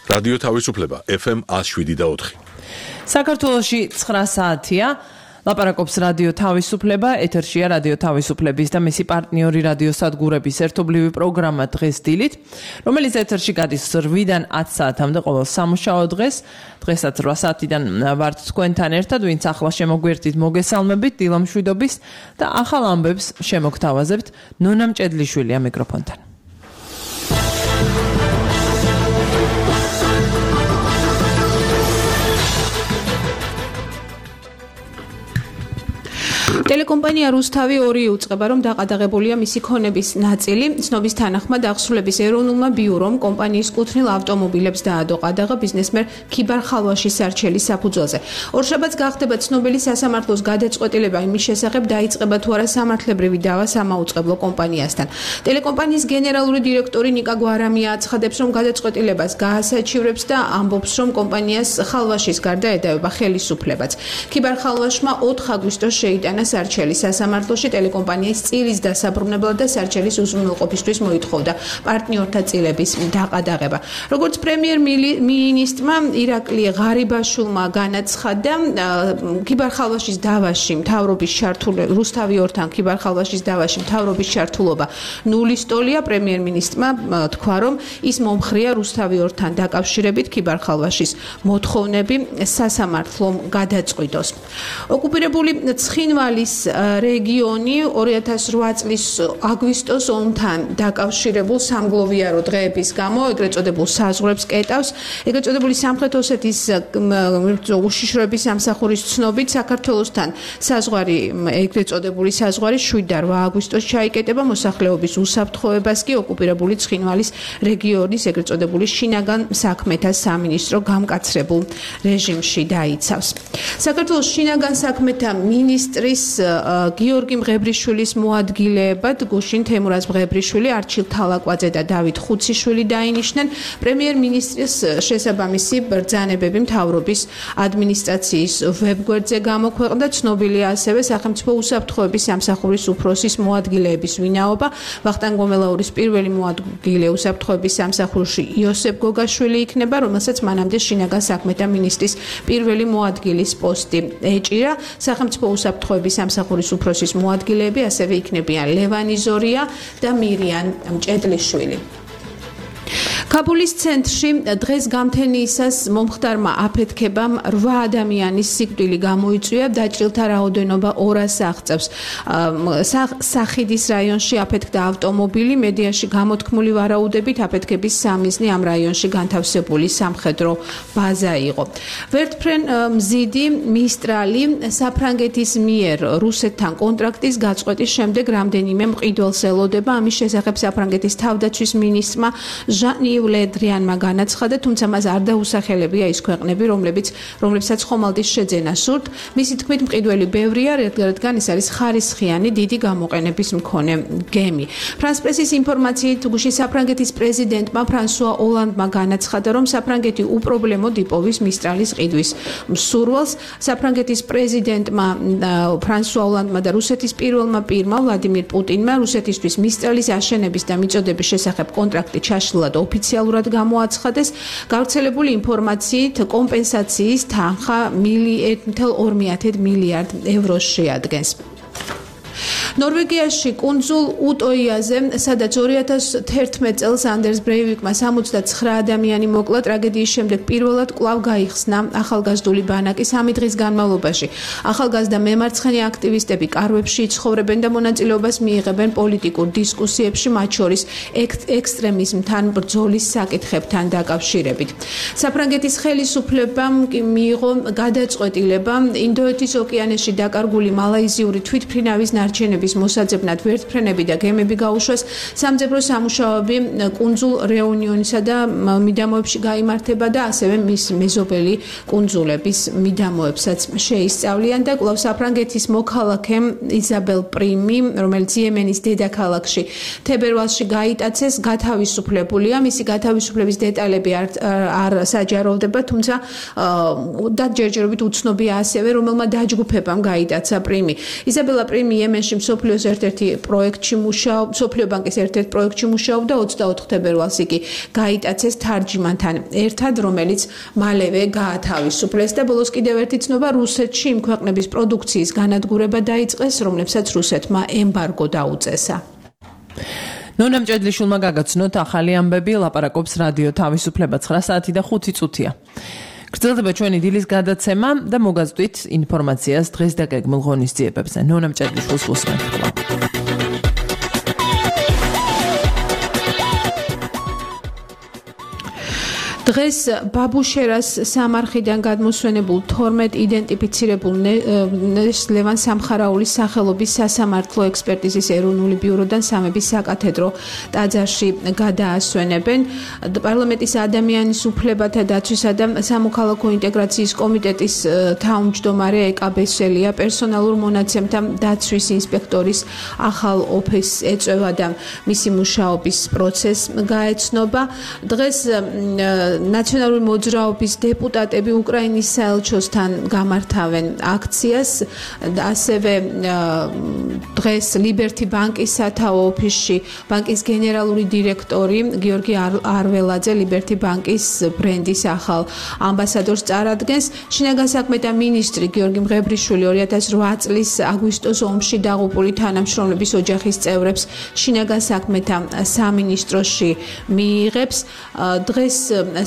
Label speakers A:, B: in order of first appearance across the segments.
A: რადიო თავისუფლება FM 107.4.
B: საქართველოში 9 საათია. ლაპარაკობს რადიო თავისუფლება, ეთერშია რადიო თავისუფლების და მისი პარტნიორი რადიო სადგურების ერთობლივი პროგრამა დღეს დილით, რომელიც ეთერში გადის 8-დან 10 საათამდე ყოველ სამუშაო დღეს. დღესაც 8 საათიდან ვართ თქვენთან ერთად, ვინც ახლა შემოგვერთით, მოგესალმებით, დილა მშვიდობის და ახალ ამბებს შემოგთავაზებთ. ნონა მჭედლიშვილია მიკროფონთან.
C: ტელეკომპანია რუსთავი 2 უწყება, რომ დაყადაღებულია მისი ქონების ნაწილი. ცნობის თანახმად აღსრულების ეროვნულმა ბიურომ კომპანიის კუთვნილ ავტომობილებს დაადო ყადაღა ბიზნესმენ ქიბარ ხალვაშის სარჩელის საფუძველზე. ორშაბათს გახდება ცნობილი სასამართლოს გადაწყვეტილება იმის შესახებ, დაიწყება თუ არა სამართლებრივი დავა სამაუწყებლო კომპანიასთან. ტელეკომპანიის გენერალური დირექტორი ნიკა გვარამია აცხადებს, რომ გადაწყვეტილებას გაასაჩივრებს და ამბობს, რომ კომპანიას ხალვაშის გარდა ედავება ხელისუფლებაც. ქიბარ ხალვაშმა 4 აგვისტოს შეიტანა სარჩელის სასამართლოში ტელეკომპანიის წილის დასაბრუნებლად და სარჩელის უზრუნველყოფისთვის მოითხოვდა პარტნიორთა წილების დაყადაღება. როგორც პრემიერ-მინისტრმა ირაკლი ღარიბაშვილმა განაცხადა, ქიბარ ხალვაშის დავაში მთავრობის ჩართულობა რუსთავი 2-თან ქიბარ ხალვაშის დავაში მთავრობის ჩართულობა ნულის ტოლია. პრემიერ-მინისტრმა თქვა, რომ ის მომხრეა რუსთავი 2-თან დაკავშირებით ქიბარ ხალვაშის მოთხოვნები სასამართლომ გადაწყვიტოს. ოკუპირებული ცხინვალის რეგიონი 2008 წლის აგვისტოს ომთან დაკავშირებულ სამგლოვიარო დღეების გამო ეგრეთ წოდებულ საზღვრებს კეტავს. ეგრეთ წოდებული სამხრეთ ოსეთის უშიშროების სამსახურის ცნობით საქართველოსთან საზღვარი ეგრეთ წოდებული საზღვარი 7 და 8 აგვისტოს ჩაიკეტება. მოსახლეობის უსაფრთხოებას კი ოკუპირებული ცხინვალის რეგიონის ეგრეთ წოდებული შინაგან საქმეთა სამინისტრო გამკაცრებულ რეჟიმში დაიცავს. საქართველოს შინაგან საქმეთა მინისტრის გიორგი მღებრიშვილის მოადგილეებად გუშინ თემურაზ მღებრიშვილი, არჩილ თალაკვაძე და დავით ხუციშვილი დაინიშნენ. პრემიერ-მინისტრის შესაბამისი ბრძანებები მთავრობის ადმინისტრაციის ვებგვერდზე გამოქვეყნდა. ცნობილია ასევე სახელმწიფო უსაფრთხოების სამსახურის უფროსის მოადგილეების ვინაობა. ვახტანგ გომელაურის პირველი მოადგილე უსაფრთხოების სამსახურში იოსებ გოგაშვილი იქნება, რომელსაც მანამდე შინაგან საქმეთა მინისტრის პირველი მოადგილის პოსტი ეჭირა. სახელმწიფო უსაფრთხოების სამსახურის უფროსის მოადგილეები ასევე იქნებიან ლევანი ზორია და მირიან მჭედლიშვილი. კაბულის ცენტრში დღეს გამთენიისას მომხდარმა აფეთქებამ 8 ადამიანის სიკვდილი გამოიწვია. დაჭრილთა რაოდენობა 200-ს აღწევს. სახიდის რაიონში აფეთქდა ავტომობილი. მედიაში გამოთქმული ვარაუდებით აფეთქების სამიზნე ამ რაიონში განთავსებული სამხედრო ბაზა იყო. ვერტფრენ მზიდი მისტრალი საფრანგეთის მიერ რუსეთთან კონტრაქტის გაწყვეტის შემდეგ რამდენიმე მყიდველს ელოდება. ამის შესახებ საფრანგეთის თავდაცვის მინისტრმა ლედრიანმა განაცხადა, თუმცა მას არ დაუსახელებია ის ქვეყნები, რომლებსაც ხომალდის შეძენა სურთ. მისი თქმით, მყიდველი ბევრია, რადგან ეს არის ხარისხიანი დიდი გამოყენების მქონე გემი. ფრანს პრესის ინფორმაციით, გუშინ საფრანგეთის პრეზიდენტმა ფრანსუა ოლანდმა განაცხადა, რომ საფრანგეთი უპრობლემოდ იპოვის მისტრალის ყიდვის მსურველს. საფრანგეთის პრეზიდენტმა ფრანსუა ოლანდმა და რუსეთის პირველმა პირმა ვლადიმირ პუტინმა რუსეთისთვის მისტრალის აშენების და მიწოდების შესახებ კონტრაქტი ჩაშლილად ოფიციალურად გამოაცხადეს. გავრცელებული ინფორმაციით კომპენსაციის თანხა 1,2 მილიარდ ევროს შეადგენს. ნორვეგიაში კუნძულ უტოიაზე, სადაც 2011 წელს ანდერს ბრეივიკმა 69 ადამიანი მოკლა, ტრაგედიის შემდეგ პირველად კვლავ გაიხსნა ახალგაზრდული ბანაკი 3 დღის განმავლობაში. ახალგაზრდა მემარცხენე აქტივისტები კარვებში იცხოვრებენ და მონაწილეობას მიიღებენ პოლიტიკურ დისკუსიებში, მათ შორის ექსტრემიზმთან ბრძოლის საკითხებთან დაკავშირებით. საფრანგეთის ხელისუფლებამ კი მიიღო გადაწყვეტილება ინდოეთის ოკეანეში დაკარგული მალაიზიური თვითმფრინავის ნარჩენების მოსაძებნად ვერტფრენები და გემები გაუშვეს. სამძებრო სამუშაოები კუნძულ რეუნიონისა და მიდამოებში გაიმართება და ასევე მის მეზობელი კუნძულების მიდამოებსაც შეისწავლიან და კვლავ საფრანგეთის მოქალაქემ იზაბელ პრიმი, რომელიც იემენის დედაქალაქში თებერვალში გაიტაცეს, გათავისუფლებულია. მისი გათავისუფლების დეტალები არ საჯაროვდება, თუმცა და ჯერჯერობით უცნობია ასევე, რომელმა დაჯგუფებამ გაიტაცა პრიმი. იზაბელა პრიმი იემენში სოფლიოს ერთ-ერთი პროექტში სოფლიო ბანკის ერთ-ერთ პროექტში მუშაობდა 24 თებერვალს იგი გაიტაცეს თარჯიმანთან ერთად, რომელიც მალევე გაათავისუფლეს და ბოლოს კიდევ ერთი ცნობა რუსეთში იმ ქვეყნების პროდუქციის განადგურება დაიწყეს, რომლებსაც რუსეთმა ემბარგო დაუწესა.
B: ნონა მჭედლიშვილმა გაგაცნოთ ახალი ამბები, ლაპარაკობს რადიო თავისუფლება 9 საათი და 5 წუთია. გრძელდება ჩვენი დილის გადაცემა და მოგაზრდით ინფორმაციას დღეს დაგეგმილ ღონისძიებებზე. ნონა მჭედლიშვილს უსმენთ კვლავ.
C: დღეს ბაბუშერას სამარხიდან გადმოსვენებულ 12 იდენტიფიცირებულ ლევან სამხარაულის სახელობის სასამართლო ექსპერტიზის ეროვნული ბიუროდან სამების საკათედრო ტაძარში გადაასვენებენ. პარლამენტის ადამიანის უფლებათა დაცვისა და სამოქალაქო ინტეგრაციის კომიტეტის თავმჯდომარე ეკა ბესელია პერსონალურ მონაცემთა დაცვის ინსპექტორის ახალ ოფისს ეწევა და მისი მუშაობის პროცესს გაეცნობა. დღეს ნაციონალური მოძრაობის დეპუტატები უკრაინის საელჩოსთან გამართავენ აქციას. ასევე დღეს ლიბერტი ბანკის სათავო ოფისში ბანკის გენერალური დირექტორი გიორგი არველაძე ლიბერტი ბანკის ბრენდის ახალ ამბასადორს წარადგენს. შინაგან საქმეთა მინისტრი გიორგი მღებრიშვილი 2008 წლის აგვისტოს ომში დაღუპული თანამშრომლების ოჯახის წევრებს შინაგან საქმეთა სამინისტროში მიიღებს. დღეს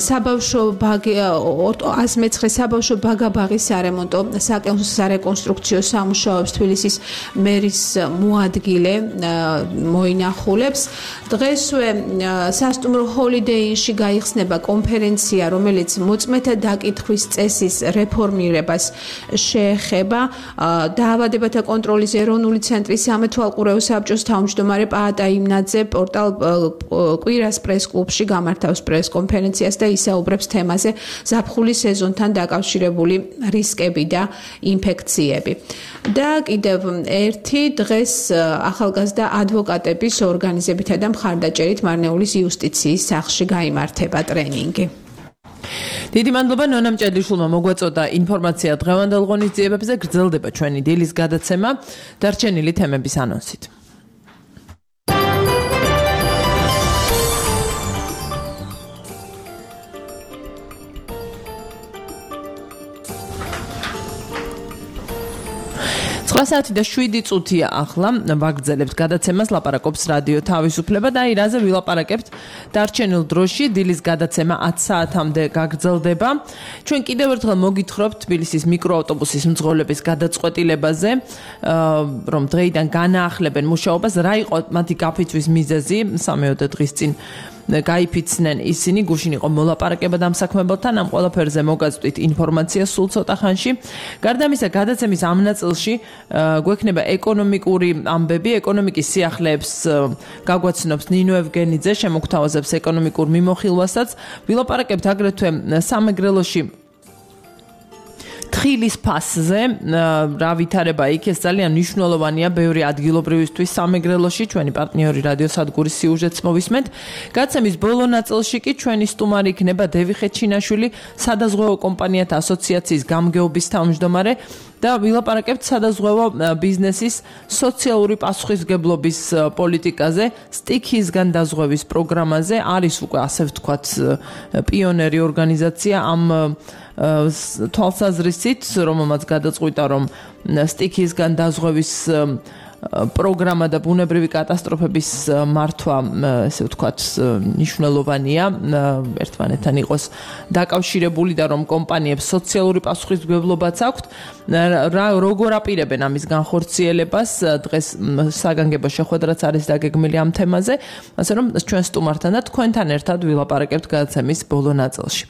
C: საბავშვო ბაღი 109 საბავშვო ბაგაბაღის სარემონტო სარეკონსტრუქციო სამუშაოებს თბილისის მერის მოადგილე მოინახულებს. დღესვე სასტუმრო ჰოლიდეიში გაიხსნება კონფერენცია, რომელიც მოწმეთა დაკითხვის წესის რეფორმირებას შეეხება. დაავადებათა კონტროლის ეროვნული ცენტრის სამეთვალყურეო საბჭოს თავმჯდომარე პაატა იმნაძე პორტალ კვირას პრეს-კლუბში გამართავს პრეს-კონფერენციას და ისაუბრებს თემაზე ზაფხულის სეზონთან დაკავშირებული რისკები და ინფექციები. და კიდევ ერთი დღეს ახალგაზრდა ადვოკატების ორგანიზებითა და მხარდაჭერით მარნეულის იუსტიციის სახლში გაიმართება ტრენინგი.
B: დიდი მადლობა ნონა მჭედლიშვილმა მოგვაწოდა ინფორმაცია დღევანდელ ღონისძიებებზე. გრძელდება ჩვენი დილის გადაცემა დარჩენილი თემების ანონსით. საათი და 7 წუთია ახლა ვაგრძელებთ გადაცემას ლაპარაკობს რადიო თავისუფლება და აი რაზე ვილაპარაკებთ დარჩენილ დროში დილის გადაცემა 10 საათამდე გაგრძელდება. ჩვენ კიდევ ერთხელ მოგითხრობთ თბილისის მიკროავტობუსის მძღოლების გადაწყვეტილებაზე, რომ დღეიდან განაახლებენ მუშაობას. რა იყო მათი გაფიცვის მიზეზი? 3 დღის წინ გაიფიცნენ ისინი, გუშინ იყო მოლაპარაკება დამსაქმებელთან, ამ ყველაფერზე მოგაწვდით ინფორმაცია სულ ცოტა ხანში. გარდა ამისა, გადაცემის ამ ნაწილში გვექნება ეკონომიკური ამბები, ეკონომიკის სიახლეებს გაგვაცნობს ნინო ევგენიძე, შემოგთავაზებს ეკონომიკურ მიმოხილვასაც. ვილაპარაკებთ აგრეთვე სამეგრელოში თხილის ფასზე, რა ვითარება იქ, ეს ძალიან მნიშვნელოვანია ბევრი ადგილობრივისთვის სამეგრელოში. ჩვენი პარტნიორი რადიოსადგურის სიუჟეტს მოვისმენთ. გადაცემის ბოლო ნაწილში კი ჩვენი სტუმარი იქნება დევიხე ჩინაშვილი, სადაზღვევო კომპანიათა ასოციაციის გამგეობის თავმჯდომარე და ვილაპარაკებთ სადაზღვევო ბიზნესის სოციალური პასუხისმგებლობის პოლიტიკაზე, სტიქისგან დაზღვევის პროგრამაზე. არის უკვე ასე ვთქვათ პიონერი ორგანიზაცია ამ თვალსაზრისით, რომელმაც გადაწყვიტა, რომ სტიქისგან დაზღვევის პროგრამა და ბუნებრივი კატასტროფების მართვა, ესე ვთქვათ, მნიშვნელოვანია, ერთმანეთთან იყოს დაკავშირებული და რომ კომპანიებს სოციალური პასუხისმგებლობაც აქვთ. როგორ აპირებენ ამის განხორციელებას? დღეს საგანგებო შეხვედრაც არის დაგეგმილი ამ თემაზე, ასე რომ ჩვენ სტუმართან და თქვენთან ერთად ვილაპარაკებთ გადაცემის ბოლო ნაწილში.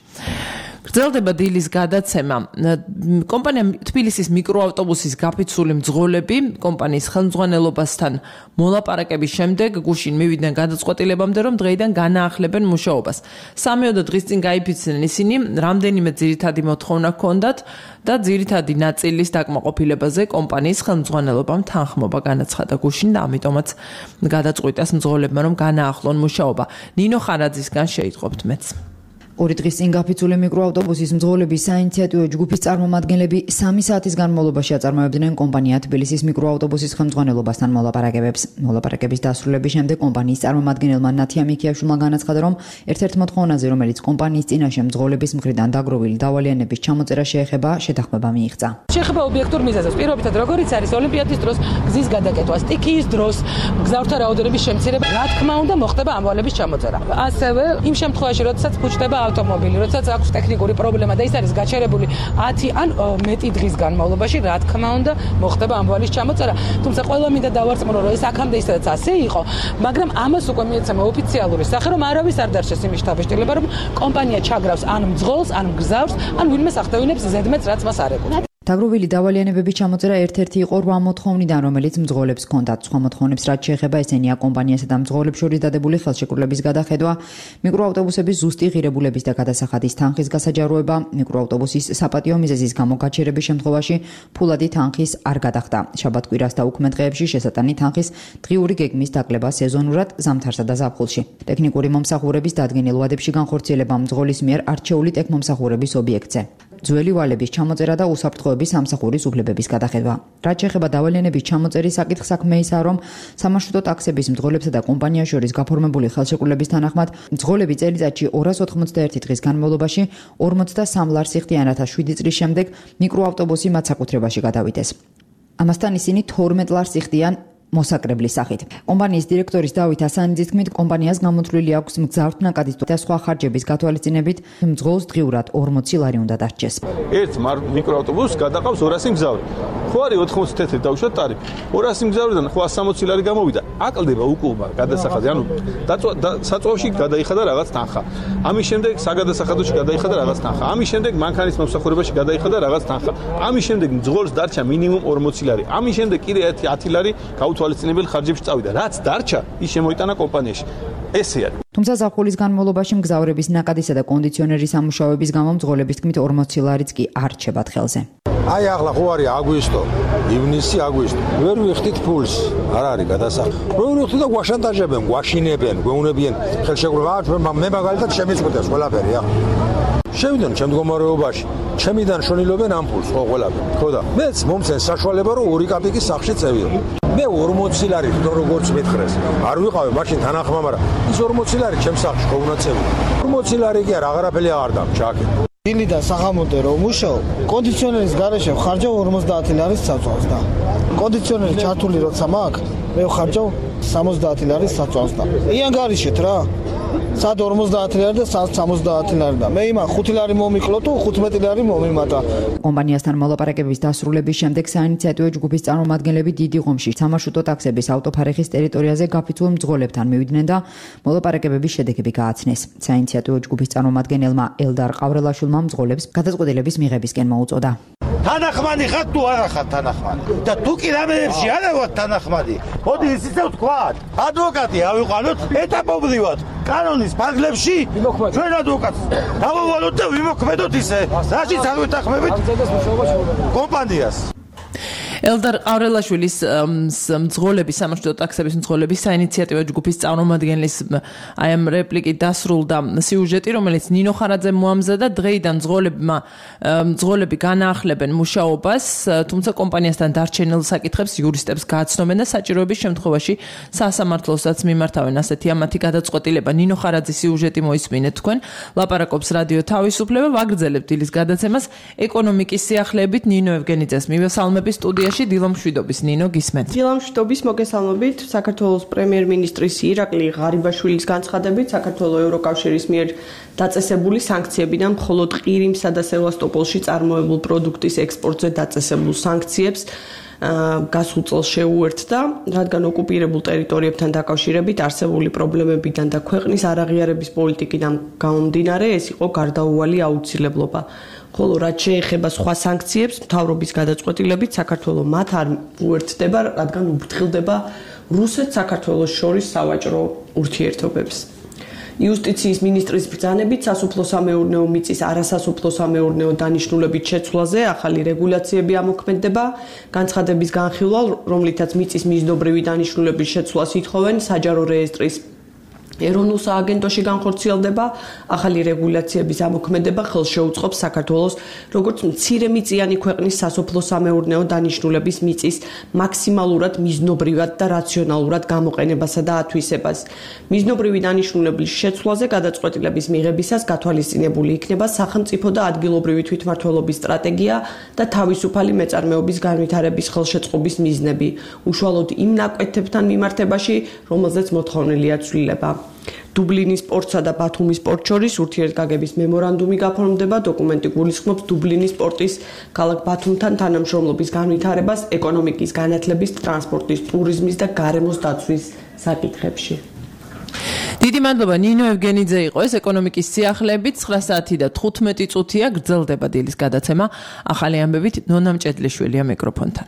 B: გრძელდება დილის გადაცემა. კომპანია თბილისის მიკროავტობუსის გაფიცული მძღოლები კომპანიის ხელმძღვანელობასთან მოლაპარაკების შემდეგ გუშინ მივიდნენ გადაწყვეტილებამდე, რომ დღეიდან განაახლებენ მუშაობას. 3 დღის წინ გაიფიცნენ ისინი, რამდენიმე ძირითადი მოთხოვნა ჰქონდათ და ძირითადი ნაწილის დაკმაყოფილებაზე კომპანიის ხელმძღვანელობამ თანხმობა განაცხადა გუშინ და ამიტომაც გადაწყვიტეს მძღოლებმა, რომ განაახლონ მუშაობა. ნინო ხარაძისგან შეიტყობთ მეც.
D: ორი დღის წინ გაფიცული მიკროავტობუსის მძღოლების საინიციატივო ჯგუფის წარმომადგენლები 3 საათის განმავლობაში აწარმოებდნენ კომპანია თბილისის მიკროავტობუსის ხელმძღვანელობასთან მოლაპარაკებებს. მოლაპარაკების დასრულების შემდეგ კომპანიის წარმომადგენელმა ნათია მიქიაშვილმა განაცხადა, რომ ერთ-ერთ მოთხოვნაზე, რომელიც კომპანიის წინაშე მძღოლების მხრიდან დაგროვილი დავალიანების ჩამოწერა შეეხება, შეთანხმება მიიღწა.
E: შეეხება ობიექტურ მიზეზებს, პირობითად როგორიც არის ოლიმპიადის დროს გზის გადაკეთვა, სტიქიის დროს გზავრთა რაოდენობის შემცირება, რა თქმა უნდა, მოხდება ამვალების ჩამოწერა. ასევე იმ შემთხვევაში, როდესაც ფუჭდება ავტომობილი, როდესაც აქვს ტექნიკური პრობლემა და ის არის გაჩერებული 10 ან მეტი დღის განმავლობაში, რა თქმა უნდა, მოხდება ამვალის ჩამოწერა. თუმცა ყველა მინდა დავარწმუნო, რომ ეს აქამდე ისედაც ასე იყო, მაგრამ ამას უკვე მიეცემა ოფიციალური სახე, რომ არავის არ დარჩეს იმის დაბეჭდილება, რომ კომპანია ჩაგრავს ან მძღოლს, ან გზავრს, ან ვინმე ახდევინებს ზედმეტს, რაც მას არ ეკუთვნის.
D: დაგროვილი დავალიანებების ჩამოწერა ერთ-ერთი იყო 8 მოთხოვნიდან, რომელიც მძღოლებს ჰქონდათ. სხვა მოთხოვნებს რაც შეეხება, ესენია კომპანიასა და მძღოლებს შორის დადებული ხელშეკრულების გადახედვა, მიკროავტობუსების ზუსტი ღირებულების და გადასახადის თანხის გასაჯაროება, მიკროავტობუსის საპატიო მიზეზის გამო გაჩერების შემთხვევაში ფულადი თანხის არ გადახდა. შაბათ-კვირას და უქმე დღეებში შესატანი თანხის დღიური გეგმის დაკლება სეზონურად ზამთარსა და ზაფხულში. ტექნიკური მომსახურების დადგენილ ვადებში განხორციელება მძღოლის მიერ არჩეული ტექნომსახურების ობიექტზე. ძველი ვალების ჩამოწერა და უსაფრთხოების სამსახურის უფლებების გადახედვა. რაც შეეხება დავალიანების ჩამოწერის საკითხს, საქმე ისაა, რომ სამარშრუტო ტაქსების მძღოლებსა და კომპანიას შორის გაფორმებული ხელშეკრულების თანახმად, მძღოლები წელიწადში 291 დღის განმავლობაში 43 ლარს იხდიან, რათა 7 წლის შემდეგ მიკროავტობუსი მათ საკუთრებაში გადავიდეს. ამასთან ისინი 12 ლარს იხდიან მოსაკრებლის სახით. კომპანიის დირექტორის დავით ასანიძის თქმით, კომპანიას გამოთვლილი აქვს მგზავრთნაკადის და სხვა ხარჯების გათვალისწინებით მძღოლს დღიურად 40 ლარი უნდა დარჩეს.
F: ერთ მიკროავტობუსს გადაყავს 200 მგზავრი. ხო არის 80 თეთრი დაუშვათ ტარიფი. 200 მგზავრიდან 160 ლარი გამოვიდა. აკლდება უკუღმა გადასახადი, ანუ საწვავში გადაიხადა რაღაც თანხა. ამის შემდეგ საგადასახადოში გადაიხადა რაღაც თანხა. ამის შემდეგ მანქანის მომსახურებაში გადაიხადა რაღაც თანხა. ამის შემდეგ მძღოლს დარჩა მინიმუმ 40 ლარი. ამის შემდეგ კიდე 10 ლარი გაუთვალისწინებელი ხარჯებში წავიდა. რაც დარჩა, ის შემოიტანა კომპანიაში. ესე არის.
D: თუმცა ზაფხულის განმავლობაში მგზავრების ნაკადისა და კონდიციონერის სამუშაოების გამო მძღოლების თქმით 40 ლარიც კი არ რჩებათ ხელზე.
G: აი ახლა ხო არის აგვისტო, ივნისი, აგვისტო. ვერ ვიხდით ფულს, არ არის გადასახადი. ვერ ვიხდით და გვაშანტაჟებენ, გვაშინებენ, გვეუნებიან ხელშეკრულება. მე მაგალითად შემიწყვეტეს ყველაფერი, ახლა. შევიდან ჩემ მდგომარეობაში. ჩემიდან შონილობენ ამ ფულს, ხო ყველაფერი. ხო და მეც მომცენ საშუალება რომ 2 კაპიკის სახში წევიდო. მე 40 ლარი როგორც მეთხრეს. არ ვიყავე მაშინ თანახმა, მაგრამ ის 40 ლარი ჩემ სახში ხო უნდა წევიდო. 40 ლარი კი არ აღარაფერი აღარ დამჭაკე.
H: დილიდან სახამოდე რომ მუშაობ, კონდიციონერის გარეშე ხარჯავ 50 ლარის საწვავს და კონდიციონერი ჩართული როცა მაქვს, მე ხარჯავ 70 ლარის საწვავს და იანგარიშეთ რა. სად 50 ლარი და სად 70 ლარი და მე იმა 5 ლარი მომიკლო თუ 15 ლარი მომიმატა.
D: კომპანიასთან მოლაპარაკების დასრულების შემდეგ საინიციატივო ჯგუფის წარმომადგენლები დიდი ღომში სამარშრუტო ტაქსების ავტოფარეხის ტერიტორიაზე გაფიცულ მძღოლებთან მივიდნენ და მოლაპარაკებების შედეგები გააცნეს. საინიციატივო ჯგუფის წარმომადგენელმა ელდარ ყავრელაშვილმა მძღოლებს გადაწყვეტილების მიღებისკენ მოუწოდა.
I: თანახმადი ხარ თუ არა ხარ თანახმადი და თუ კი რამეებში არა ვარ თანახმადი, მოდი ისიც ვთქვათ, ადვოკატი ავიყვანოთ ეტაპობრივად კანონის ფარგლებში ჩვენ ადვოკატს დავავალოთ და ვიმოქმედოთ ისე, რაშიც არ ვეთანხმებით კომპანიას.
B: ელდარ ყავრელაშვილის მძღოლების სამარშრუტო ტაქსების მძღოლების საინიციატივო ჯგუფის წარმომადგენლის აი ამ რეპლიკით დასრულდა სიუჟეტი, რომელიც ნინო ხარაძემ მოამზადა. დღეიდან მძღოლები განაახლებენ მუშაობას, თუმცა კომპანიასთან დარჩენილ საკითხებს იურისტებს გააცნობენ და საჭიროების შემთხვევაში სასამართლოსაც მიმართავენ. ასეთია მათი გადაწყვეტილება. ნინო ხარაძის სიუჟეტი მოისმინეთ თქვენ. ლაპარაკობს რადიო თავისუფლება, ვაგრძელებთ დილის გადაცემას ეკონომიკის სიახლეებით. ნინო ევგენიძეს მივესალმები სტუდიაში. დილამშვიდობის ნინო გისმენთ.
J: დილამშვიდობის მოგესალმებით. საქართველოს პრემიერ-მინისტრის ირაკლი ღარიბაშვილის განცხადებით, საქართველოს ევროკავშირის მიერ დაწესებული სანქციებიდან მხოლოდ ყირიმსა და სევასტოპოლში წარმოებულ პროდუქტის ექსპორტზე დაწესებულ სანქციებს გასულ წელს შეუერთდა, რადგან ოკუპირებულ ტერიტორიებთან დაკავშირებით არსებული პრობლემებიდან და ქვეყნის არაღიარების პოლიტიკიდან გამომდინარე, ეს იყო გარდაუვალი აუცილებლობა. ხოლო რაც შეეხება სხვა სანქციებს, მთავრობის გადაწყვეტილებით საქართველოს მათ არ უერთდება, რადგან უფრთხილდება რუსეთ-საქართველოს შორის სავაჭრო ურთიერთობებს. იუსტიციის მინისტრის ბრძანებით სასოფლო-სამეურნეო მიწის არასასოფლო-სამეურნეო დანიშნულებით შეცვლაზე ახალი რეგულაციები ამოქმედება. განცხადების განხილვა, რომლითაც მიწის მიზნობრივი დანიშნულების შეცვლას ითხოვენ საჯარო რეესტრის ეროვნულ სააგენტოში განხორციელდება, ახალი რეგულაციების ამოქმედება ხელს შეუწყობს საქართველოს როგორც მცირემიწიანი ქვეყნის სასოფლო-სამეურნეო დანიშნულების მიწის მაქსიმალურად მიზნობრივად და რაციონალურად გამოყენებასა და ათვისებას. მიზნობრივი დანიშნულების შეცვლაზე გადაწყვეტილების მიღებისას გათვალისწინებული იქნება სახელმწიფო და ადგილობრივი თვითმმართველობის სტრატეგია და თავისუფალი მეწარმეობის განვითარების ხელშეწყობის მიზნები, უშუალოდ იმ ნაკვეთებთან მიმართებაში, რომელზეც მოთხოვნილია ცვლილება. დუბლინის პორტსა და ბათუმის პორტ შორის ურთიერთგაგების მემორანდუმი გაფორმდება, დოკუმენტი გულისხმობს დუბლინის პორტის ქალაქ ბათუმთან თანამშრომლობის განვითარებას ეკონომიკის განათლების, ტრანსპორტის, ტურიზმის და გარემოს დაცვის საკითხებში.
B: დიდი მადლობა ნინო ევგენიძე იყო ეს ეკონომიკის სიახლეებით 9 საათი და 15 წუთია გრძელდება დილის გადაცემა ახალი ამბებით ნონა მჭედლიშვილია მიკროფონთან.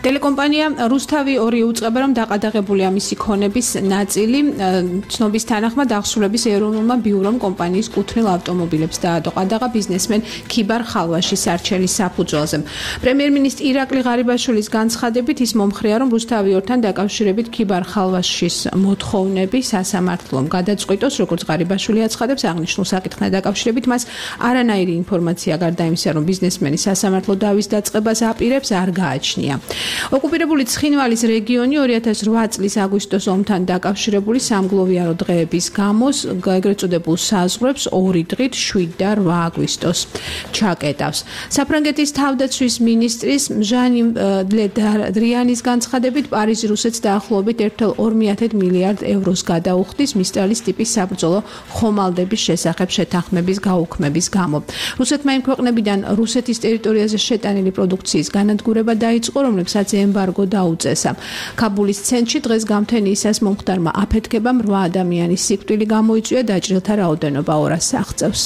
C: ტელეკომპანია რუსთავი 2 უწყება, რომ დაყადაღებულია მისი ქონების ნაწილი. ცნობის თანახმად აღსრულების ეროვნულმა ბიურომ კომპანიის კუთვნილ ავტომობილებს დაადო ყადაღა ბიზნესმენ ქიბარ ხალვაშის არჩელის საფუძველზე. პრემიერ-მინისტრი ირაკლი ღარიბაშვილის განცხადებით ის მომხრეა, რომ რუსთავი 2-თან დაკავშირებით ქიბარ ხალვაშის მოთხოვნები სასამართლომ გადაწყვიტოს, როგორც ღარიბაშვილი აცხადებს, აღნიშნულ საკითხთან დაკავშირებით მას არანაირი ინფორმაცია გარდა იმისა, რომ ბიზნესმენი სასამართლო დავის დაწყებას აპირებს, არ გააჩნია. ოკუპირებული ცხინვალის რეგიონი 2008 წლის აგვისტოს ომთან დაკავშირებული სამგლოვიარო დღეების გამოს ეგრეთ წოდებულ საზღვრებს 2 დღით 7 და 8 აგვისტოს ჩაკეტავს. საფრანგეთის თავდაცვის მინისტრის ჟანი დრიანის განცხადებით პარიზი რუსეთს დაახლოებით 1,2 მილიარდ ევროს გადაუხდის მისტრალის ტიპის საბრძოლო ხომალდების შესახებ შეთანხმების გაუქმების გამო. რუსეთმა იმ ქვეყნებიდან რუსეთის ტერიტორიაზე შეტანილი პროდუქციის განადგურება დაიწყო, რომლებსაც ემბარგო დაუწესა. ქაბულის ცენტრში დღეს გამთენიისას მომხდარმა აფეთქებამ 8 ადამიანის სიკვდილი გამოიწვია, დაჭრილთა რაოდენობა 200-ს აღწევს.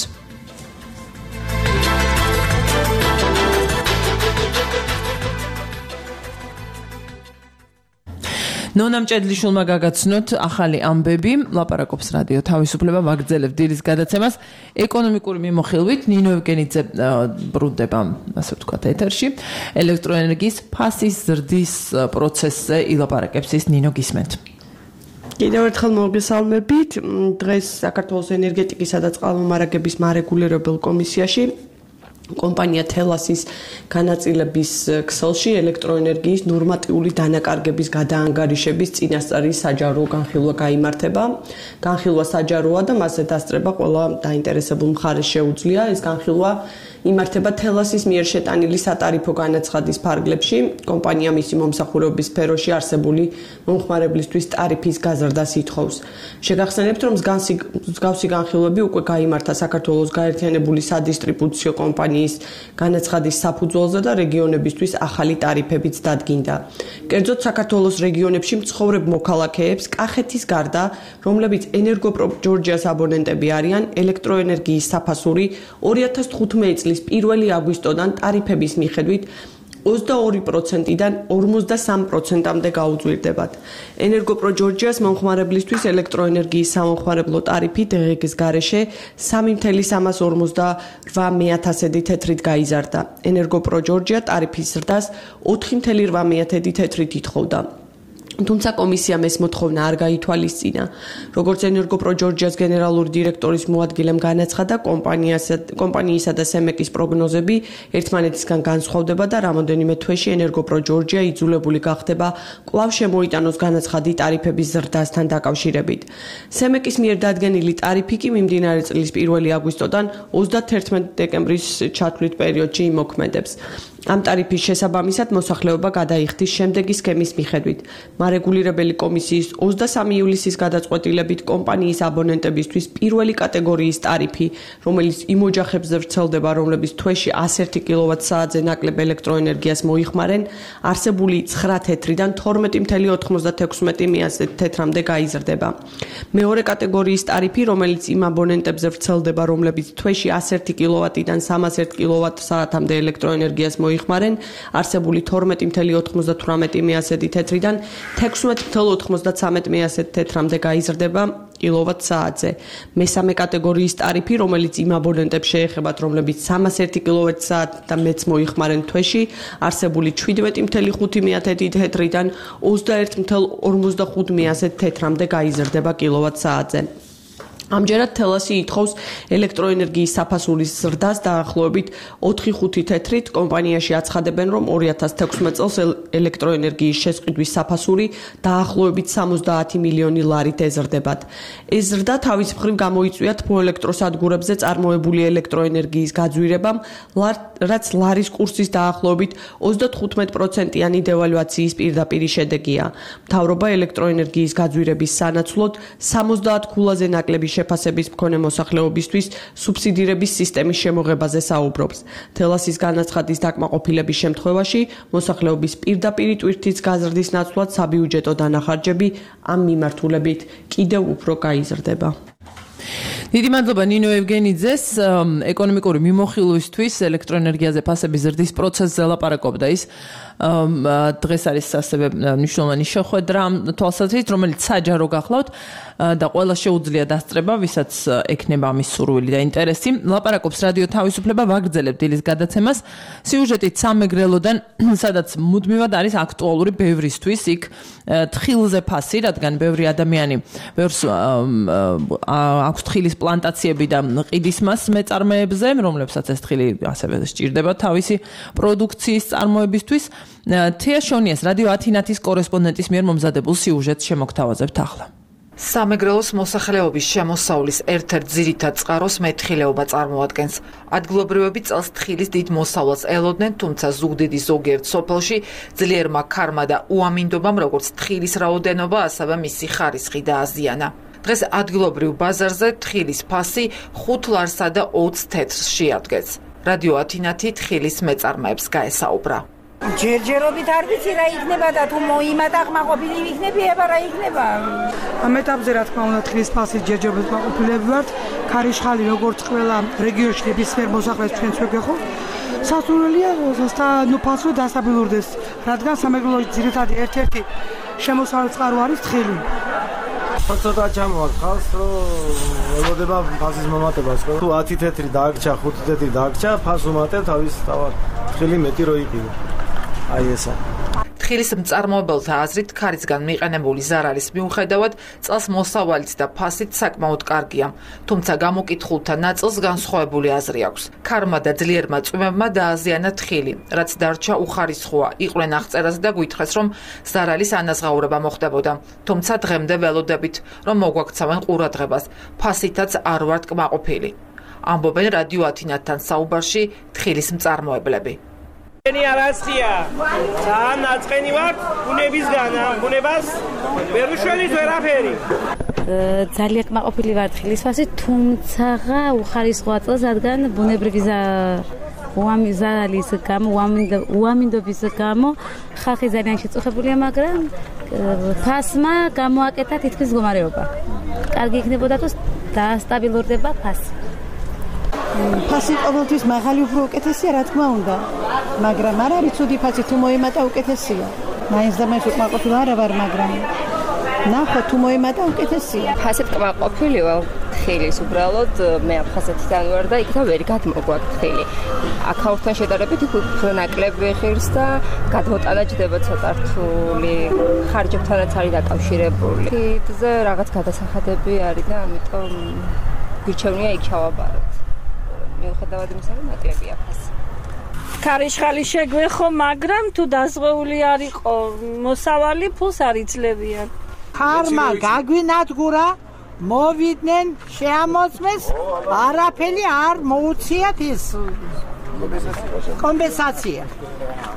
C: ნონა მჭედლიშვილმა გაგაცნოთ ახალი ამბები, ლაპარაკობს რადიო თავისუფლება, ვაგრძელებთ დილის გადაცემას ეკონომიკური მიმოხილვით. ნინო ევგენიძე ბრუნდება, ასე ვთქვათ, ეთერში. ელექტროენერგიის ფასის ზრდის პროცესზე ილაპარაკებს ის. ნინო, გისმენთ.
J: კიდევ ერთხელ მოგესალმებით. დღეს საქართველოს ენერგეტიკისა და წყალმომარაგების მარეგულირებელ კომისიაში კომპანია თელასის განაწილების ქსელში ელექტროენერგიის ნორმატიული დანაკარგების გადაანგარიშების წინასწარი საჯარო განხილვა გაიმართება. განხილვა საჯაროა და მასზე დასწრება ყველა დაინტერესებულ მხარეს შეუძლია. ეს განხილვა იმართება თელასის მიერ შეტანილი სატარიფო განაცხადის ფარგლებში. კომპანია მისი მომსახურების სფეროში არსებული მომხმარებლისთვის ტარიფის გაზრდას ითხოვს. შეგახსენებთ, რომ მსგავსი განხილვები უკვე გაიმართა საქართველოს გაერთიანებული სადისტრიბუციო კომპანიის განაცხადის საფუძველზე და რეგიონებისთვის ახალი ტარიფებიც დადგინდა. კერძოდ საქართველოს რეგიონებში მცხოვრებ მოქალაქეებს კახეთის გარდა, რომლებიც ენერგოპროჯორჯიას აბონენტები არიან, ელექტროენერგიის საფასური 2015 წლის 1 აგვისტოდან ტარიფების მიხედვით 22%-დან 53%-მდე გაუძვირდებათ. ენერგოპროჯორჯიას მომხმარებლისთვის ელექტროენერგიის სამომხმარებლო ტარიფი დღეს გარეშე 3,348 თეთრით გაიზარდა. ენერგოპროჯორჯია ტარიფის ზრდას 4,8 თეთრით ითხოვდა. თუმცა კომისიამ ეს მოთხოვნა არ გაითვალისწინა. როგორც ენერგოპროჯორჯიას გენერალური დირექტორის მოადგილემ განაცხადა, კომპანიისა და სემეკის პროგნოზები ერთმანეთისგან განსხვავდება და რამოდენიმე თვეში ენერგოპროჯორჯია იძულებული გახდება კვლავ შემოიტანოს განაცხადი ტარიფების ზრდასთან დაკავშირებით. სემეკის მიერ დადგენილი ტარიფი კი მიმდინარე წლის 1 აგვისტოდან 31 დეკემბრის ჩათვლით პერიოდში იმოქმედებს. ამ ტარიფის შესაბამისად მოსახლეობა გადაიხდის შემდეგი სქემის მიხედვით. მარეგულირებელი კომისიის 23 ივლისის გადაწყვეტილებით კომპანიის აბონენტებისთვის პირველი კატეგორიის ტარიფი, რომელიც იმ ოჯახებზე ვრცელდება, რომლებიც თვეში 101 კილოვატ-საათზე ნაკლებ ელექტროენერგიას მოიხმარენ, არსებული 9 თეთრიდან 12,96 თეთრამდე გაიზრდება. მეორე კატეგორიის ტარიფი, რომელიც იმ აბონენტებზე ვრცელდება, რომლებიც თვეში 101 კილოვატიდან 301 კილოვატ-საათამდე ელექტროენერგიას მოიხმარენ, მოიხმარენ, არსებული 12.98 მიასედი თეთრიდან 16.93 მიასედი თეთრამდე გაიზრდება კილოვატ-საათზე. მესამე კატეგორიის ტარიფი, რომელიც იმ აბონენტებს შეეხებათ, რომლებიც 301 კილოვატ-საათი და მეც მოიხმარენ თვეში, არსებული 17.5 თეთრიდან 21.55 თეთრამდე გაიზრდება კილოვატ-საათზე. ამჯერად თელასი ითხოვს ელექტროენერგიის საფასურის ზრდას დაახლოებით 4-5 თეთრით. კომპანიაში აცხადებენ, რომ 2016 წელს ელექტროენერგიის შესყიდვის საფასური დაახლოებით 70 მილიონი ლარით ეზრდებათ. ეს ზრდა თავის მხრივ გამოიწვია თბოელექტროსადგურებზე წარმოებული ელექტროენერგიის გაძვირებამ, რაც ლარის კურსის დაახლოებით 35%-იანი დევალვაციის პირდაპირი შედეგია. მთავრობა ელექტროენერგიის გაძვირების სანაცვლოდ 70 ქულაზე ნაკლები შეფასების მქონე მოსახლეობისთვის სუბსიდირების სისტემის შემოღებაზე საუბრობს. თელასის განაცხადის დაკმაყოფილების შემთხვევაში მოსახლეობის პირდაპირი ტვირთის გაზრდის ნაცვლად საბიუჯეტო დანახარჯები ამ მიმართულებით კიდევ უფრო გაიზრდება. დიდი მადლობა ნინო ევგენიძეს. ეკონომიკური მიმოხილვისთვის ელექტროენერგიაზე ფასების ზრდის პროცესზე ლაპარაკობდა ის. დღეს არის ასევე მნიშვნელოვანი შეხვედრა თვალსაზრისით, რომელიც საჯარო გახლავთ და ყველა შეუძლია დასწრება, ვისაც ექნება ამის სურვილი და ინტერესი. ლაპარაკობს რადიო თავისუფლება, ვაგრძელებთ დილის გადაცემას. სიუჟეტით სამეგრელოდან, სადაც მუდმივად არის აქტუალური ბევრისთვის, იქ თხილზე ფასი, რადგან ბევრი ადამიანი ბევრს აქვს თხილის პლანტაციები და ყიდის მას მეწარმეებზე, რომლებსაც ეს თხილი ასევე სჭირდება თავისი პროდუქციის წარმოებისთვის. თეა შონიას რადიო ათინათის კორესპონდენტის მიერ მომზადებულ სიუჟეტს შემოგთავაზებთ ახლა.
K: სამეგრელოს მოსახლეობის შემოსავლის ერთ-ერთ ძირითად წყაროს მეთხილეობა წარმოადგენს. ადგილობრივები წელს თხილის დიდ მოსავლას ელოდნენ, თუმცა ზუგდიდის ზოგიერთ სოფელში ძლიერმა ქარმა და უამინდობამ როგორც თხილის რაოდენობა, ასევე მისი ხარისხი დააზიანა. დღეს ადგილობრივ ბაზარზე თხილის ფასი 5 ლარსა და 20 თეთრს შეადგენს. რადიო ათინათი თხილის მეწარმეებს გაესაუბრა.
L: ჯერჯერობით არ ვიცი რა იქნება და თუ მოიმატა ყმაყოფილი იქნებიება რა იქნება.
M: ამ ეტაპზე რა თქმა უნდა თხილის ფასის ჯერჯერობით ყმაყოფილები ვართ. ქარიშხალი როგორც ყველა რეგიონში ნებისმიერ მოსახლეს ჩვენც ვეგეხო. სასურველია ფასო დასაბილურდეს, რადგან სამეგრელოში ძირითადი ერთ-ერთი შემოსავლის წყარო არის თხილი.
H: ცოტა ჩამოვართ ხალხს, რომ ელოდება ფასის მომატებას. თუ 10 თეთრი დააგჭა, 5 თეთრი დააგჭა, ფას უმატებ თავის თავად. თხილი მეტი რო იყიდო. აი ესა.
K: თხილის მწარმოებელთა აზრით, ქარისგან მიყენებული ზარალის მიუხედავად, წელს მოსავალიც და ფასით საკმაოდ კარგია. თუმცა გამოკითხულთა ნაწილს განსხვავებული აზრი აქვს. ქარმა და ძლიერმა წვიმებმა დააზიანა თხილი, რაც დარჩა უხარისხოა. იყვნენ აღწერას და გვითხრეს, რომ ზარალის ანაზღაურება მოხდებოდა. თუმცა დღემდე ველოდებით, რომ მოგვაქცევენ ყურადღებას. ფასითაც არ ვართ კმაყოფილი. ამბობენ რადიო ათინათთან საუბარში თხილის მწარმოებლები.
N: ენი არასწია. ძალიან ნაწყენი ვარ ბუნებისგანა, ბუნებას ვერ უშველით ვერაფერი.
O: ძალიან კმაყოფილი ვარ თხილის ფასით, თუმცა უხარისხოა წელს, რადგან ბუნებრივი ზარალის გამო, უამინდობის გამო ხალხი ძალიან შეწუხებულია, მაგრამ ფასმა გამოაკეთა თითქმის მდგომარეობა. კარგი იქნებოდა თუ დაასტაბილურდება ფასი.
L: ფასი ყოველთვის მაღალი უფრო უკეთესია, რა თქმა უნდა. მაგრამ არ არის ცუდი ფასი, თუ მოემატა უკეთესია. მაინც და მაინც უკმაყოფილი არ ვარ, მაგრამ ნახო თუ მოემატა უკეთესია.
P: ფასით კმაყოფილი ვარ თხილის, უბრალოდ მე აფხაზეთიდან ვარ და იქ და ვერ გადმოგვაქვს თხილი. აქაურთან შედარებით უფრო ნაკლები ხილს და გადმოტანა ჯდება ცოტა რთული. ხარჯებთანაც არის დაკავშირებული. თითზე რაღაც გადასახადები არის და ამიტომ გვირჩევნია იქ ჩავაბაროთ. მიუხედავად იმისა, რომ ნაკლებია ფასი.
Q: ქარიშხალი შეგვეხო, მაგრამ თუ დაზღვეული არ იყო მოსავალი, ფულს არ იძლევიან.
L: ქარმა გაგვინადგურა, მოვიდნენ, შეამოწმეს, არაფერი არ მოუციათ ის კომპენსაცია.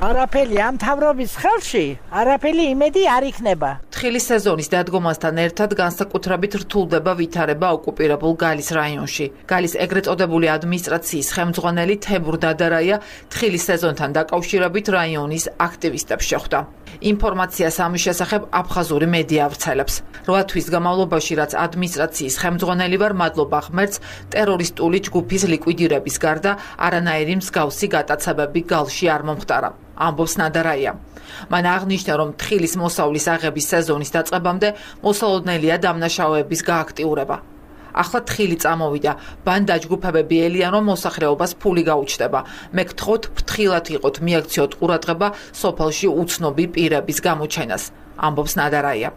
L: არაფერი ამ მთავრობის ხელში, არაფერი იმედი არ იქნება.
K: თხილის სეზონის დადგომასთან ერთად განსაკუთრებით რთულდება ვითარება ოკუპირებულ გალის რაიონში. გალის ეგრეთ წოდებული ადმინისტრაციის ხელმძღვანელი თემურ დადარაია თხილის სეზონთან დაკავშირებით რაიონის აქტივისტებს შეხვდა. ინფორმაციას ამის შესახებ აფხაზური მედია ავრცელებს. 8 თვის განმავლობაში, რაც ადმინისტრაციის ხელმძღვანელი ვარ, მადლობა ღმერთს, ტერორისტული ჯგუფის ლიკვიდირების გარდა არანაირი მსგავსი გატაცებები გალში არ მომხდარა. ამბობს ნადარაია. მან აღნიშნა, რომ თხილის მოსავლის აღების სეზონის დაწყებამდე მოსალოდნელია დამნაშავეების გააქტიურება. ახლა თხილი წამოვიდა, ბან დაჯგუფებები ელიან, რომ მოსახლეობას ფული გაუჩნდება. მე გთხოვთ, ფრთხილად იყოთ, მიაქციოთ ყურადღება სოფელში უცნობი პირების გამოჩენას. ამბობს ნადარაია.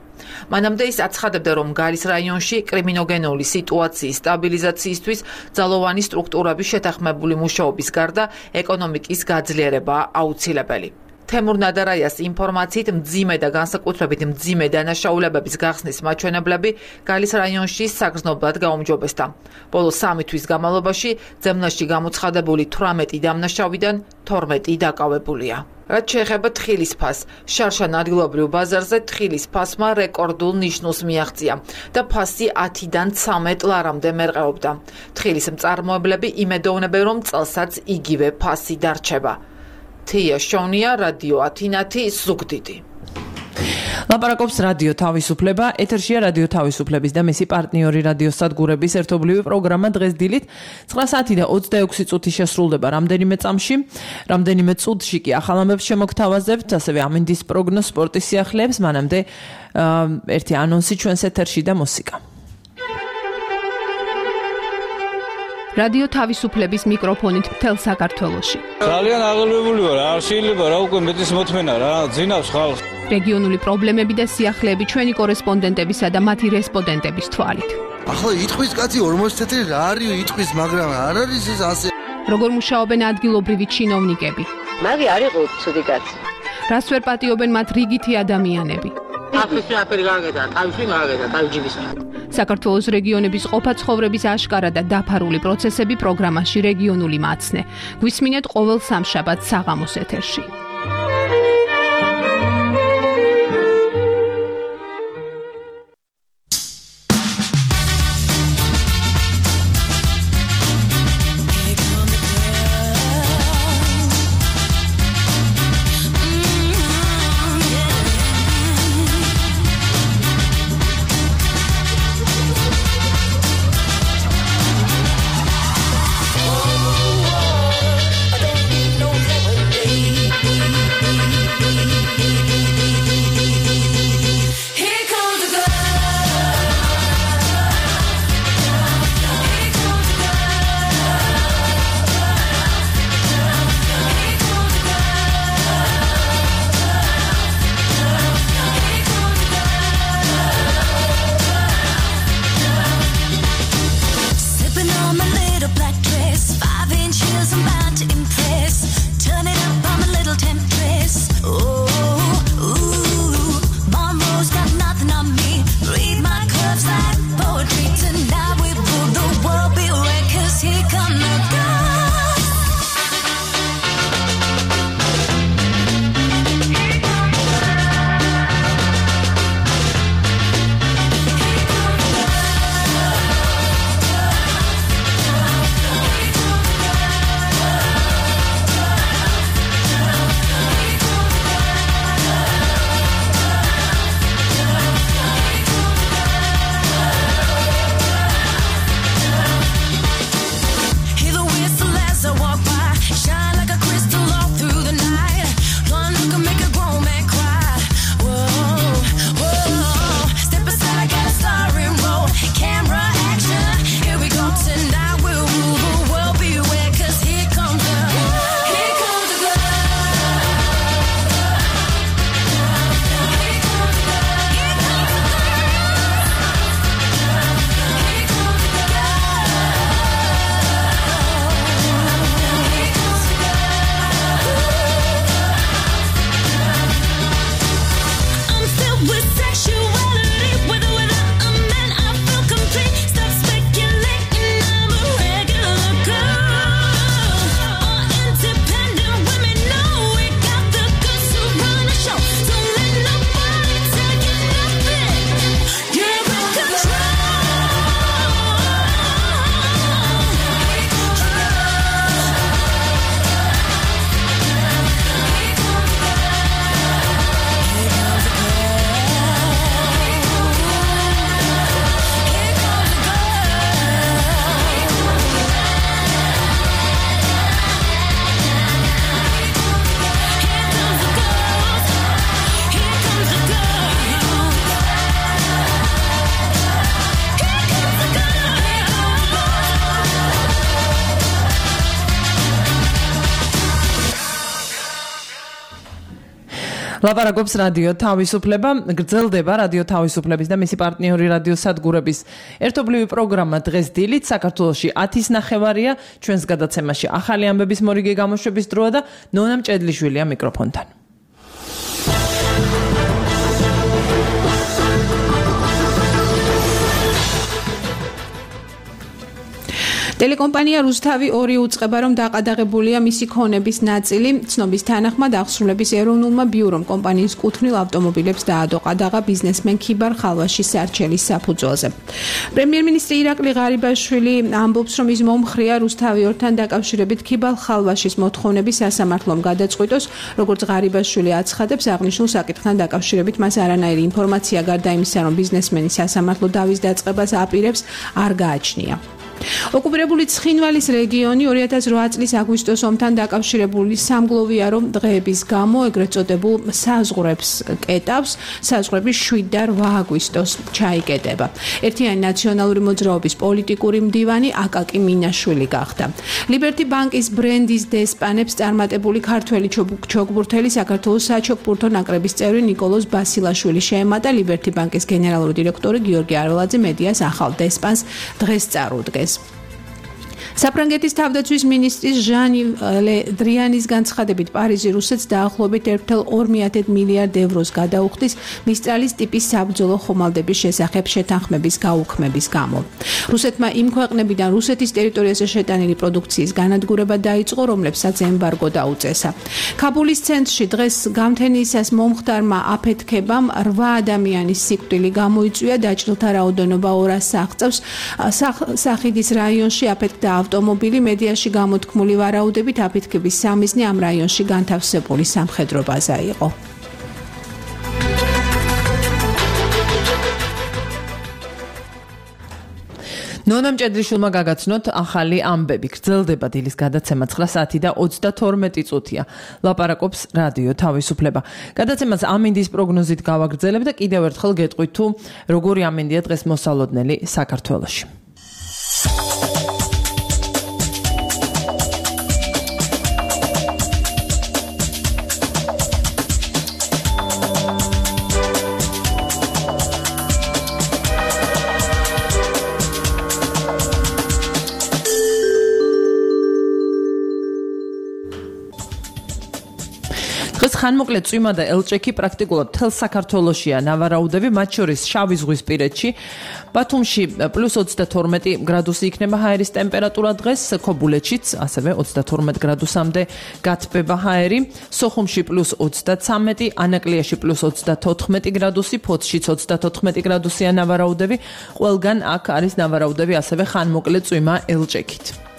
K: მანამდე ის აცხადებდა, რომ გალის რაიონში კრიმინოგენული სიტუაციის სტაბილიზაციისთვის ძალოვანი სტრუქტურების შეთანხმებული მუშაობის გარდა ეკონომიკის გაძლიერებაა აუცილებელი. თემურ ნადარაიას ინფორმაციით მძიმე და განსაკუთრებით მძიმე დანაშაულებების გახსნის მაჩვენებლები გალის რაიონში საგრძნობლად გაუმჯობესდა. ბოლო 3 თვის განმავლობაში ძემლაში გამოცხადებული 18 დამნაშავიდან 12 დაკავებულია. რაც შეეხება თხილის ფასს, შარშან ადგილობრივ ბაზარზე თხილის ფასმა რეკორდულ ნიშნულს მიაღწია და ფასი 10-დან 13 ლარამდე მერყეობდა. თხილის მწარმოებლები იმედოვნებენ, რომ წელსაც იგივე ფასი დარჩება. თია შონია, რადიო ათინათი, ზუგდიდი.
B: ლაპარაკობს რადიო თავისუფლება, ეთერშია რადიო თავისუფლების და მისი პარტნიორი რადიო სადგურების ერთობლივი პროგრამა დღეს დილით 9 საათი და 26 წუთი შესრულდება რამდენიმე წამში, რამდენიმე წუთში კი ახალ ამბებს შემოგთავაზებთ, ასევე ამინდის პროგნოზ სპორტის სიახლეებს, მანამდე ერთი ანონსი ჩვენს ეთერში და მუსიკა.
C: რადიო თავისუფლების მიკროფონით მთელ საქართველოში.
R: ძალიან აღელვებული ვარ, არ შეიძლება რა უკვე მეტის მოთმენა რა, ძინავს ხალხს.
C: რეგიონული პრობლემები და სიახლეები ჩვენი კორესპონდენტებისა და მათი რესპონდენტების თვალით.
S: ახლა იტყვის კაცი 40 წელი რა არის იტყვის, მაგრამ არ არის ეს ასე.
C: როგორ მუშაობენ ადგილობრივი ჩინოვნიკები?
T: მაგი არ იყო ცუდი კაცი.
C: რას ვერ პატიობენ მათ რიგითი ადამიანები?
T: ახლა აფერი გააკეთა, თავში გააკეთა, თავჯიბის.
C: საქართველოს რეგიონების ყოფა ცხოვრების აშკარა და დაფარული პროცესები პროგრამაში რეგიონული მაცნე. გვისმინეთ ყოველ სამშაბათს საღამოს ეთერში.
U: I don't need no lemonade.
B: ლაპარაკობს რადიო თავისუფლება, გრძელდება რადიო თავისუფლების და მისი პარტნიორი რადიო სადგურების ერთობლივი პროგრამა დღეს დილით საქართველოში 10:30-ია. ჩვენს გადაცემაში ახალი ამბების მორიგი გამოშვების დროა და ნონა მჭედლიშვილია მიკროფონთან.
C: ტელეკომპანია რუსთავი 2 უწყება, რომ დაყადაღებულია მისი ქონების ნაწილი. ცნობის თანახმად აღსრულების ეროვნულმა ბიურომ კომპანიის კუთვნილ ავტომობილებს დაადო ყადაღა ბიზნესმენ ქიბარ ხალვაშის სარჩელის საფუძველზე. პრემიერ-მინისტრი ირაკლი ღარიბაშვილი ამბობს, რომ ის მომხრეა რუსთავი 2-თან დაკავშირებით ქიბარ ხალვაშის მოთხოვნების სასამართლომ გადაწყვიტოს, როგორც ღარიბაშვილი აცხადებს, აღნიშნულ საკითხთან დაკავშირებით მას არანაირი ინფორმაცია გარდა იმისა, რომ ბიზნესმენი სასამართლო დავის დაწყებას აპირებს, არ გააჩნია. ოკუპირებული ცხინვალის რეგიონი 2008 წლის აგვისტოს ომთან დაკავშირებული სამგლოვია, რომ დღეების გამო ეგრეთ წოდებულ საზღვრებს კეტავს, საზღვრები 7 და 8 აგვისტოს ჩაიკეტება. ერთიანი ნაციონალური მოძრაობის პოლიტიკური მდივანი აკაკი მინაშვილი გახდა. ლიბერტი ბანკის ბრენდის დესპანებს წარმატებული ქართველი ჩოგბურთელი საქართველოს საჩოგბურთო ნაკრების წევრი ნიკოლოზ ბასილაშვილი შეემატა. ლიბერტი ბანკის გენერალური დირექტორი გიორგი არველაძე მედიას ახალ დესპანს დღეს წარუდგეს. საფრანგეთის თავდაცვის მინისტრის ჟანი ლე დრიანის განცხადებით პარიზი რუსეთს დაახლოებით 1,2 მილიარდ ევროს გადაუხდის მისტრალის ტიპის საბრძოლო ხომალდების შესახებ შეთანხმების გაუქმების გამო. რუსეთმა იმ ქვეყნებიდან რუსეთის ტერიტორიაზე შეტანილი პროდუქციის განადგურება დაიწყო, რომლებსაც ემბარგო დაუწესა. ქაბულის ცენტრში დღეს გამთენიისას მომხდარმა აფეთქებამ 8 ადამიანის სიკვდილი გამოიწვია, დაჭრილთა რაოდენობა 200-ს აღწევს. სახიდის რაიონში აფეთქდა ავტომობილი, მედიაში გამოთქმული ვარაუდებით აფეთქების სამიზნე ამ რაიონში განთავსებული სამხედრო ბაზა იყო. ნონა მჭედლიშვილმა გაგაცნოთ ახალი ამბები. გრძელდება დილის გადაცემა 9 საათი და 32 წუთია. ლაპარაკობს რადიო თავისუფლება. გადაცემას ამინდის პროგნოზით გავაგრძელებ და კიდევ ერთხელ გეტყვით თუ როგორი ამინდია დღეს მოსალოდნელი საქართველოში. ხანმოკლე წვიმა და ელჭექი პრაქტიკულად მთელ საქართველოშია ნავარაუდები, მათ შორის შავი ზღვისპირეთში, ბათუმში +22 გრადუსი იქნება ჰაერის ტემპერატურა დღეს, ქობულეთშიც ასევე 32 გრადუსამდე გათბება ჰაერი, სოხუმში +33, ანაკლიაში +34 გრადუსი, ფოთშიც 34 გრადუსია ნავარაუდები, ყველგან აქ არის ნავარაუდები ასევე ხანმოკლე წვიმა ელჭექით.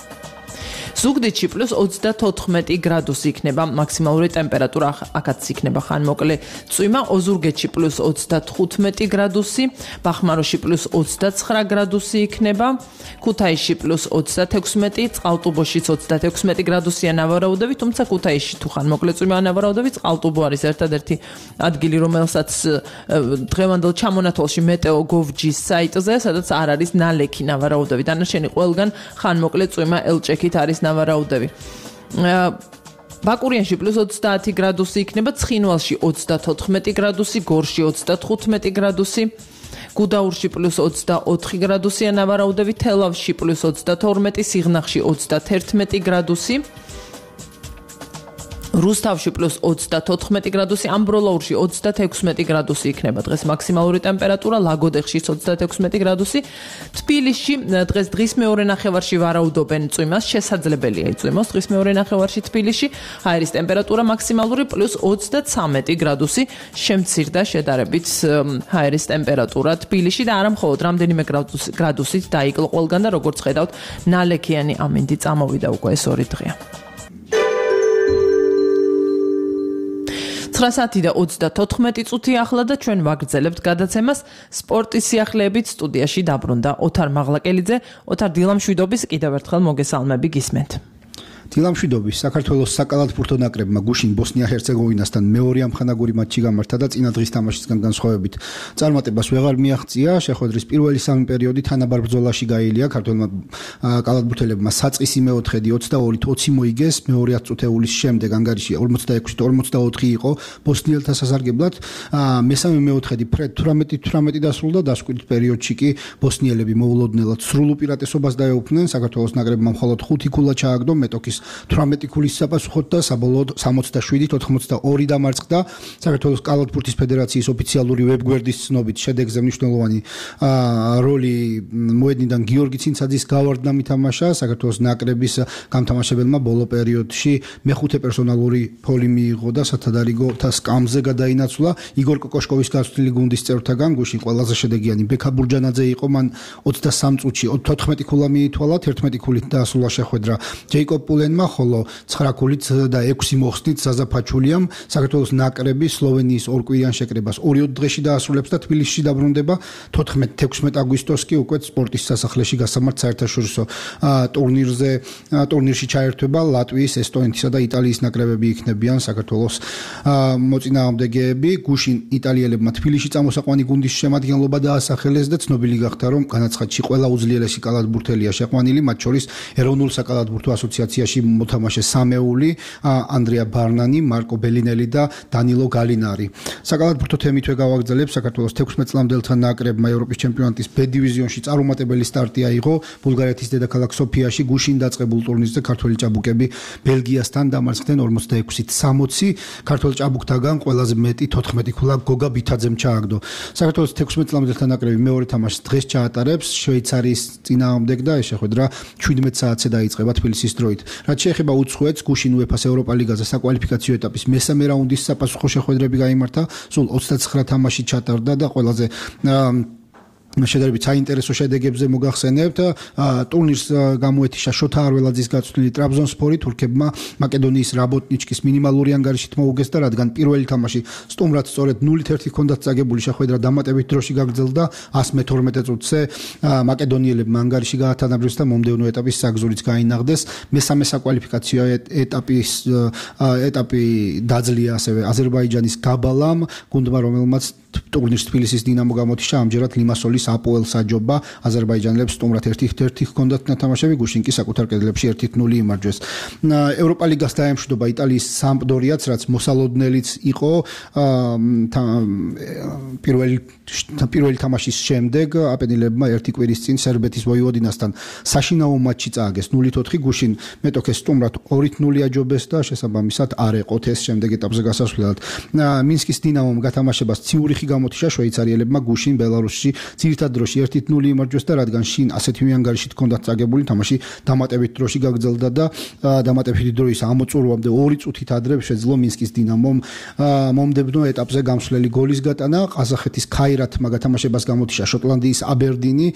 C: ზუგდიდში +34 გრადუსი იქნება მაქსიმალური ტემპერატურა, აქაც იქნება ხანმოკლე წვიმა, ოზურგეთში +35 გრადუსი, ბახმაროში +29 გრადუსი იქნება, ქუთაისში +36, წყალტუბოშიც 36 გრადუსია ნავარაუდები, თუმცა ქუთაისში თუ ხანმოკლე წვიმაა ნავარაუდები, წყალტუბო არის ერთადერთი ადგილი, რომელსაც დღევანდელ ჩამონათვალში მეტეოგოვჯის საიტზე, სადაც არ არის ნალექი ნავარაუდები, დანარჩენი ყველგან ხანმოკლე წვიმა ელჭექით არის ნავარაუდები. ბაკურიანში +30 გრადუსი იქნება, ცხინვალში 34 გრადუსი, გორში 35 გრადუსი, გუდაურში +24 გრადუსია ნავარაუდები, თელავში +32, სიღნაღში 31 გრადუსი, რუსთავში +34 გრადუსი, ამბროლაურში 36 გრადუსი იქნება დღეს მაქსიმალური ტემპერატურა, ლაგოდეხში 36 გრადუსი, თბილისში დღეს დღის მეორე ნახევარში ვარაუდობენ წვიმას, შესაძლებელია იწვიმოს დღის მეორე ნახევარში თბილისში, ჰაერის ტემპერატურა მაქსიმალური +23 გრადუსი, შემცირდა შედარებით ჰაერის ტემპერატურა თბილისში და არა მხოლოდ რამდენიმე გრადუსით დაიკლო ყველგან და როგორც ხედავთ, ნალექიანი ამინდი წამოვიდა უკვე ეს 2 დღეა. 9 საათი და 34 წუთი ახლა და ჩვენ ვაგრძელებთ გადაცემას სპორტის სიახლეებით. სტუდიაში დაბრუნდა ოთარ მაღლაკელიძე. ოთარ, დილამშვიდობის, კიდევ ერთხელ მოგესალმები, გისმენთ.
U: დილამშვიდობის საქართველოს საკალათბურთო ნაკრებმა გუშინ ბოსნია-ჰერცეგოვინასთან მეორე ამხანაგური მატჩი გამართა და წინა დღის თამაშისგან განსხვავებით წარმატებას ვეღარ მიაღწია. შეხვედრის პირველი სამი პერიოდი თანაბარ ბრძოლაში გაήλია ქართველმა კალათბურთელებმა საწყისი მეოთხედი 22-20 მოიგეს. მეორე 10 წუთეულის შემდეგ ანგარიში 46-44 იყო ბოსნიელთა სასარგებლად. მესამე მეოთხედი ფრედ 18-18 დასრულდა. დასკვირთ პერიოდში კი ბოსნიელები მოულოდნელად სრულ უპირატესობას დაეუფლნენ. საქართველოს ნაკრებმა მხოლოდ 5 ქულა ჩააგდო მეტოქის 18 ქულის საპასუხოდ და საბოლოოდ 77-82 დამარცხდა. საქართველოს კალათბურთის ფედერაციის ოფიციალური ვებგვერდის ცნობით შედეგზე მნიშვნელოვანი როლი მოედნიდან გიორგი ცინცაძის გავარდნამ ითამაშა. საქართველოს ნაკრების გამთამაშებელმა ბოლო პერიოდში მეხუთე პერსონალური ფოლი მიიღო და სათადარიგოთა სკამზე გადაინაცვლა. იგორ კოკოშკოვის გასვლილი გუნდის წევრთაგან გუშინ ყველაზე შედეგიანი ბექა ბურჯანაძე იყო. მან 23 წუთში 14 ქულა მიითვალა, 11 ქულით დაასრულა შეხვედრა ჯეიკობ პულენმა, ხოლო 9 ქულით და 6 მოხსნით ზაზა ფაჩულიამ. საქართველოს ნაკრები სლოვენიის ორკვირიან შეკრებას 2 დღეში დაასრულებს და თბილისში დაბრუნდება. 14-16 აგვისტოს კი უკვე სპორტის სასახლეში გასამართ საერთაშორისო ტურნირში ჩაერთვება ლატვიის, ესტონეთისა და იტალიის ნაკრებები იქნებიან საქართველოს მოწინააღმდეგეები. გუშინ იტალიელებმა თბილისში წამოსაყვანი გუნდის შემადგენლობა დაასახელეს და ცნობილი გახდა, რომ განაცხადში ყველა უძლიერესი კალათბურთელია შეყვანილი, მათ შორის ეროვნულ საკალათბურთო ასოციაციაში მოთამაშე სამეული, ანდრია ბარნანი, მარკო ბელინელი და დანილო გალინარი. საკალათბურთო თემითვე გავაგრძელებ. საქართველოს 16 წლამდელთა ნაკრებმა ევროპის ჩემპიონატის B დივიზიონში წარუმატებელი სტარტი აიღო. ბულგარეთის დედაქალაქ სოფიაში გუშინ დაწყებულ ტურნირზე ქართველი ჭაბუკები ბელგიასთან დამარცხდნენ 46-60. ქართველ ჭაბუკთაგან ყველაზე მეტი 14 ქულა გოგა ბითაძემ ჩააგდო. საქართველოს 16 წლამდელთა ნაკრები მეორე თამაშს დღეს ჩაატარებს შვეიცარიის წინააღმდეგ და ეს შეხვედრა 17 საათზე დაიწყება თბილისის დროით. რაც შეეხება უცხოეთს, გუშინ UEFA-ს ევროპა ლიგაზე საკვალიფიკაციო ეტაპის მესამე რაუნდის საპასუხო შეხვედრები გაიმართა. სულ 29 თამაში ჩატარდა და ყველაზე შედარებით საინტერესო შედეგებზე მოგახსენებთ. ტურნირს გამოეთიშა შოთა არველაძის გაწვრთნილი ტრაბზონსპორი. თურქებმა მაკედონიის რაბოტნიჩკის მინიმალური ანგარიშით მოუგეს და რადგან პირველი თამაში სტუმრად სწორედ 0-1 ჰქონდათ წაგებული, შეხვედრა დამატებით დროში გაგრძელდა. 112 წუთზე მაკედონიელებმა ანგარიში გაათანაბრეს და მომდევნო ეტაპის საგზურიც გაინაღდეს. მესამე საკვალიფიკაციო ეტაპი დაძლია ასევე აზერბაიჯანის გაბალამ, გუნდმა რომელმაც ტურნირს თბილისის დინამო გამოთიშა. ამჯერად ლიმასოლის აპოელს აჯობა. აზერბაიჯანელებს სტუმრად 1-1 ჰქონდათ ნათამაშები, გუშინ კი საკუთარ კედლებში 1-0 იმარჯვეს. ევროპა ლიგას დაემშვიდობა იტალიის სამპდორიაც, რაც მოსალოდნელიც იყო. პირველი თამაშის შემდეგ აპენილებმა ერთი კვირის წინ სერბეთის ვოივოდინასთან საშინაო მატჩი წააგეს 0-4. გუშინ მეტოქეს სტუმრად 2-0 აჯობეს და შესაბამისად არ ეყოთ ეს შემდეგ ეტაპზე გასასვლელად. მინსკის დინამომ გათამაშებას ციურიხი გამოთიშა. შვეიცარიელებმა გუშინ ბელარუსში ძირითად დროში 1-0 იმარჯვეს და რადგან შინ ასეთივე ანგარიშით ჰქონდათ წაგებული, თამაში დამატებით დროში გაგრძელდა და დამატებითი დროის ამოწურვამდე 2 წუთით ადრე შეძლო მინსკის დინამომ მომდევნო ეტაპზე გამსვლელი გოლის გატანა. ყაზახეთის ქაირათმა გათამაშებას გამოთიშა შოტლანდიის აბერდინი.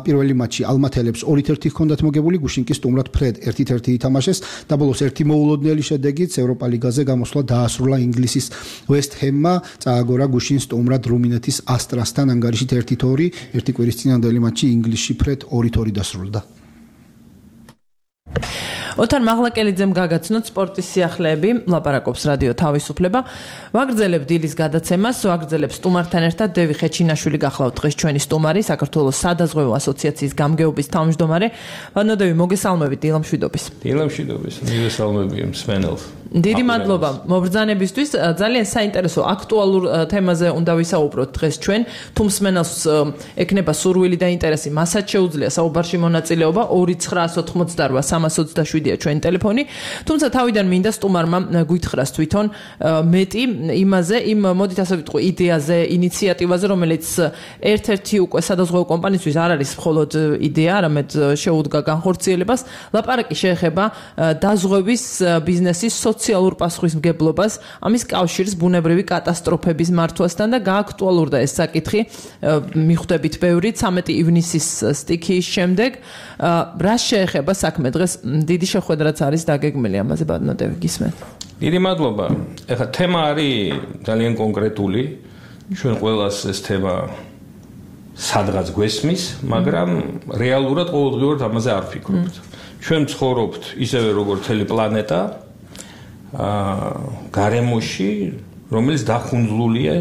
U: პირველი მატჩი ალმათელებს 2-1 ჰქონდათ მოგებული, გუშინ კი სტუმრად ფრედ 1-1 ითამაშეს და ბოლოს ერთი მოულოდნელი შედეგით ევროპა ლიგაზე გამოსვლა დაასრულა ინგლისის ვესტ ჰემმა. წააგორა გუშინ სტუმრად რუმინეთის ასტრასთან ანგარიშით 1-2. ერთი კვირის წინანდელი მატჩი ინგლისში ფრედ 2-2 დასრულდა.
B: ოთარ მაღლაკელიძემ გაგაცნოთ სპორტის სიახლეები, ლაპარაკობს რადიო თავისუფლება. ვაგრძელებ დილის გადაცემას, ვაგრძელებ სტუმართან ერთად დევი ხეჩინაშვილი გახლავთ დღეს ჩვენი სტუმარი, საქართველოს სადაზღვევო ასოციაციის გამგეობის თავმჯდომარე. ვანოდევი, მოგესალმებით, დილამშვიდობის.
V: დილამშვიდობის, მოგესალმები მსმენელს.
B: დიდი მადლობა მობრძანებისთვის. ძალიან საინტერესო აქტუალურ თემაზე უნდა ვისაუბროთ დღეს ჩვენ. თუ მსმენელს ექნება სურვილი და ინტერესი, მასაც შეუძლია საუბარში მონაწილეობა 2988327-ია ჩვენი ტელეფონი. თუმცა თავიდან მინდა სტუმარმა გვითხრას თვითონ მეტი იმაზე, მოდით ასე ვიტყვი, იდეაზე, ინიციატივაზე, რომელიც ერთ-ერთი უკვე სადაზღვევო კომპანიისთვის არ არის მხოლოდ იდეა, არამედ შეუდგა განხორციელებას. ლაპარაკი შეეხება დაზღვევის ბიზნესის სოციალურ პასუხისმგებლობას, ამის კავშირს ბუნებრივი კატასტროფების მართვასთან და გააქტუალურდა ეს საკითხი მიხვდებით ბევრი 13 ივნისის სტიქიის შემდეგ. რა შეეხება საქმე დღეს? დიდი შეხვედრაც არის დაგეგმილი ამაზე, ბატონოდევი, გისმენთ.
V: დიდი მადლობა. ეხლა თემა არის ძალიან კონკრეტული. ჩვენ ყველას ეს თემა სადღაც გვესმის, მაგრამ რეალურად ყოველდღიურად ამაზე არ ვფიქრობთ. ჩვენ ცხოვრობთ ისევე როგორც მთელი პლანეტა გარემოში, რომელიც დახუნძლულია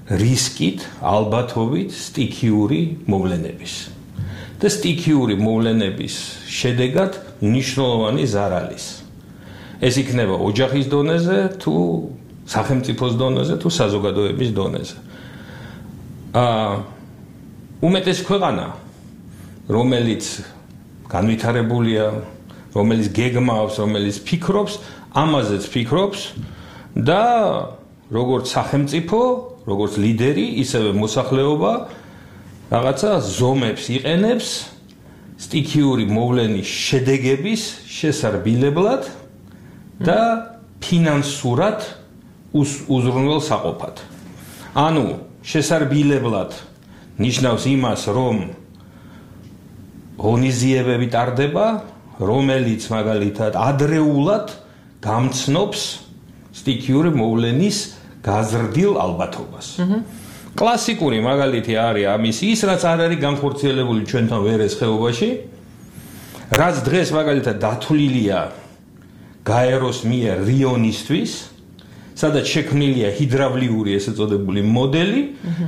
V: რისკით, ალბათობით, სტიქიური მოვლენების. და სტიქიური მოვლენების შედეგად მნიშვნელოვანი ზარალის. ეს იქნება ოჯახის დონეზე, თუ სახელმწიფოს დონეზე, თუ საზოგადოების დონეზე. უმეტეს ქვეყანა, რომელიც განვითარებულია, რომელიც გეგმავს, რომელიც ფიქრობს, ამაზეც ფიქრობს და როგორც სახელმწიფო, როგორც ლიდერი, ისევე მოსახლეობა რაღაცა ზომებს იყენებს სტიქიური მოვლენის შედეგების შესარბილებლად და ფინანსურად უზრუნველსაყოფად. ანუ შესარბილებლად ნიშნავს იმას, რომ ღონისძიებები ტარდება, რომელიც მაგალითად ადრეულად გამცნობს სტიქიური მოვლენის გაზრდილ ალბათობას. კლასიკური მაგალითი არის ამის ის, რაც არ არის განხორციელებული ჩვენთან ვერეს ხეობაში, რაც დღეს მაგალითად დათვლილია გაეროს მიერ რიონისთვის, სადაც შექმნილია ჰიდრავლიური ესე წოდებული მოდელი,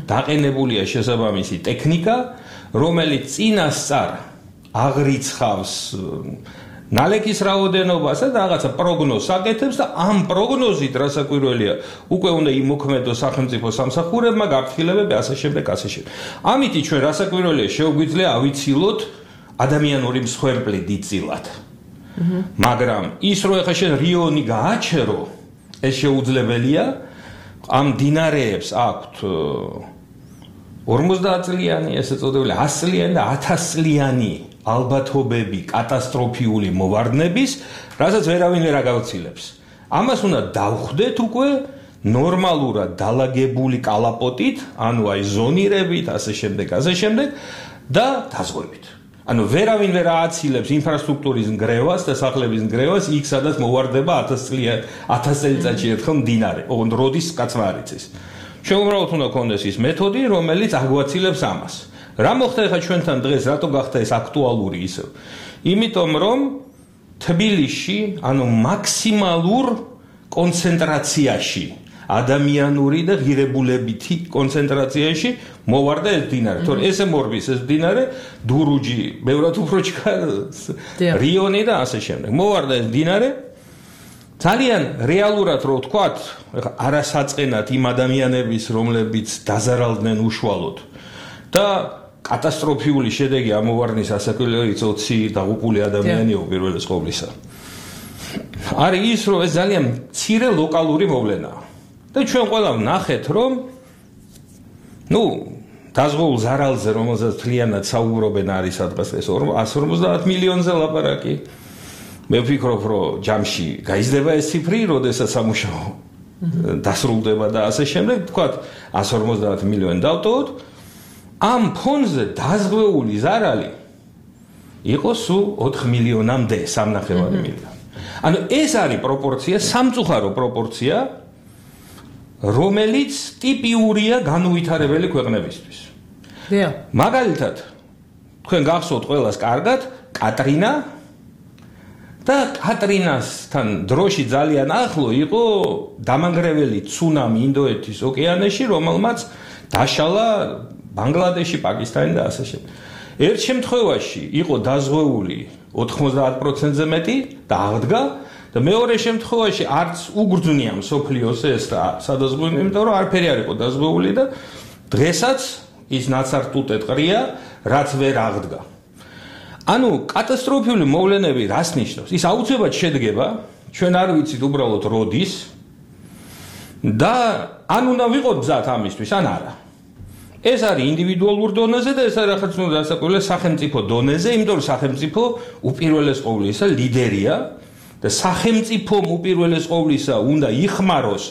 V: დაყენებულია შესაბამისი ტექნიკა, რომელიც წინასწარ აღრიცხავს ნალექის რაოდენობას და რაღაცა პროგნოზს აკეთებს და ამ პროგნოზით რასაკვირველია უკვე უნდა იმოქმედოს სახელმწიფო სამსახურებმა გაფრთხილებები ასე შემდეგ. ამიტი ჩვენ რასაკვირველია შეგვიძლია ავიცილოთ ადამიანური მსხვერპლი დიდწილად. მაგრამ ის რო ეხა შენ რიონი გააჩერო, ეს შეუძლებელია, ამ დინარეებს აქვთ 50 წლიანი, ესე წოდებული 100 წლიანი და 1000 წლიანი ალბათობები კატასტროფიული მოვარდნების, რასაც ვერავინ ვერ აგავრცილებს. ამას უნდა დავხვდეთ უკვე ნორმალურად დალაგებული კალაპოტით, ანუ აი ზონირებით, ასე შემდეგ და დაზღვევით. ანუ ვერავინ ვერ ააცილებს ინფრასტრუქტურის ნგრევას და სახლების ნგრევას იქ, სადაც მოვარდება 1000 წელიწადში ერთხელ მდინარე, ოღონდ როდის კაცმა არ იცის. ჩვენ უბრალოდ უნდა გქონდეს ის მეთოდი, რომელიც აგვაცილებს ამას. რა მოხდა ახლა ჩვენთან დღეს, რატო გახდა ეს აქტუალური ისევ? იმიტომ რომ თბილისში, ანუ მაქსიმალურ კონცენტრაციაში, ადამიანური და ღირებულებითი კონცენტრაციაში მოვარდა ეს მდინარე. თორე ესე მორბის ეს მდინარე, დურუჯი, ბევრად უფრო ჩქარს, რიონი და ასე შემდეგ. მოვარდა ეს მდინარე. ძალიან რეალურად რო ვთქვათ, ახლა არასაწყენად იმ ადამიანების, რომლებიც დაზარალდნენ უშუალოდ და კატასტროფიული შედეგი ამოვარდნის ასაკვილეა 20 დაღუპული ადამიანია უპირველეს ყოვლისა. არის ის, რომ ეს ძალიან მცირე ლოკალური მოვლენაა. და ჩვენ ყველა ვნახეთ, რომ დაზღვეულ ზარალზე, რომელზეც მთლიანად საუბრობენ, არის სადღაც ეს 150 მილიონზე ლაპარაკი. მე ვფიქრობ, რომ ჯამში გაიზრდება ეს ციფრი, როდესაც სამუშაო დასრულდება და ასე შემდეგ, თქვათ 150 მილიონი დავტოვოთ. ამ ფონზე დაზღვეული ზარალი იყო სულ 4 მილიონამდე, 3.5 მილიონი. ანუ ეს არის პროპორცია, სამწუხარო პროპორცია, რომელიც ტიპიურია განუვითარებელი ქვეყნებისთვის. მაგალითად, თქვენ გახსოვთ ყველას კარგად, კატრინა და კატრინასთან დროში ძალიან ახლო იყო დამანგრეველი ცუნამი ინდოეთის ოკეანეში, რომელმაც დაშალა ბანგლადეში, პაკისტანი და ასე შემდეგ. ერთ შემთხვევაში იყო დაზღვეული 90%-ზე მეტი და აღდგა და მეორე შემთხვევაში არც უგრძნია მსოფლიოს ეს სადაზღვეველი, იმიტომ რომ არაფერი არ იყო დაზღვეული და დღესაც ის ნაცარტუტე ტყრია, რაც ვერ აღდგა. ანუ კატასტროფიული მოვლენები რას ნიშნავს? ის აუცილებლად შედგება, ჩვენ არ ვიცით უბრალოდ როდის და ან უნდა ვიყოთ მზად ამისთვის, ან არა. ეს არის ინდივიდუალურ დონეზე და ეს არის ახაც დასაკვირველი სახელმწიფო დონეზე, იმიტომ რომ სახელმწიფო უპირველეს ყოვლისა ლიდერია და სახელმწიფომ უპირველეს ყოვლისა უნდა იხმაროს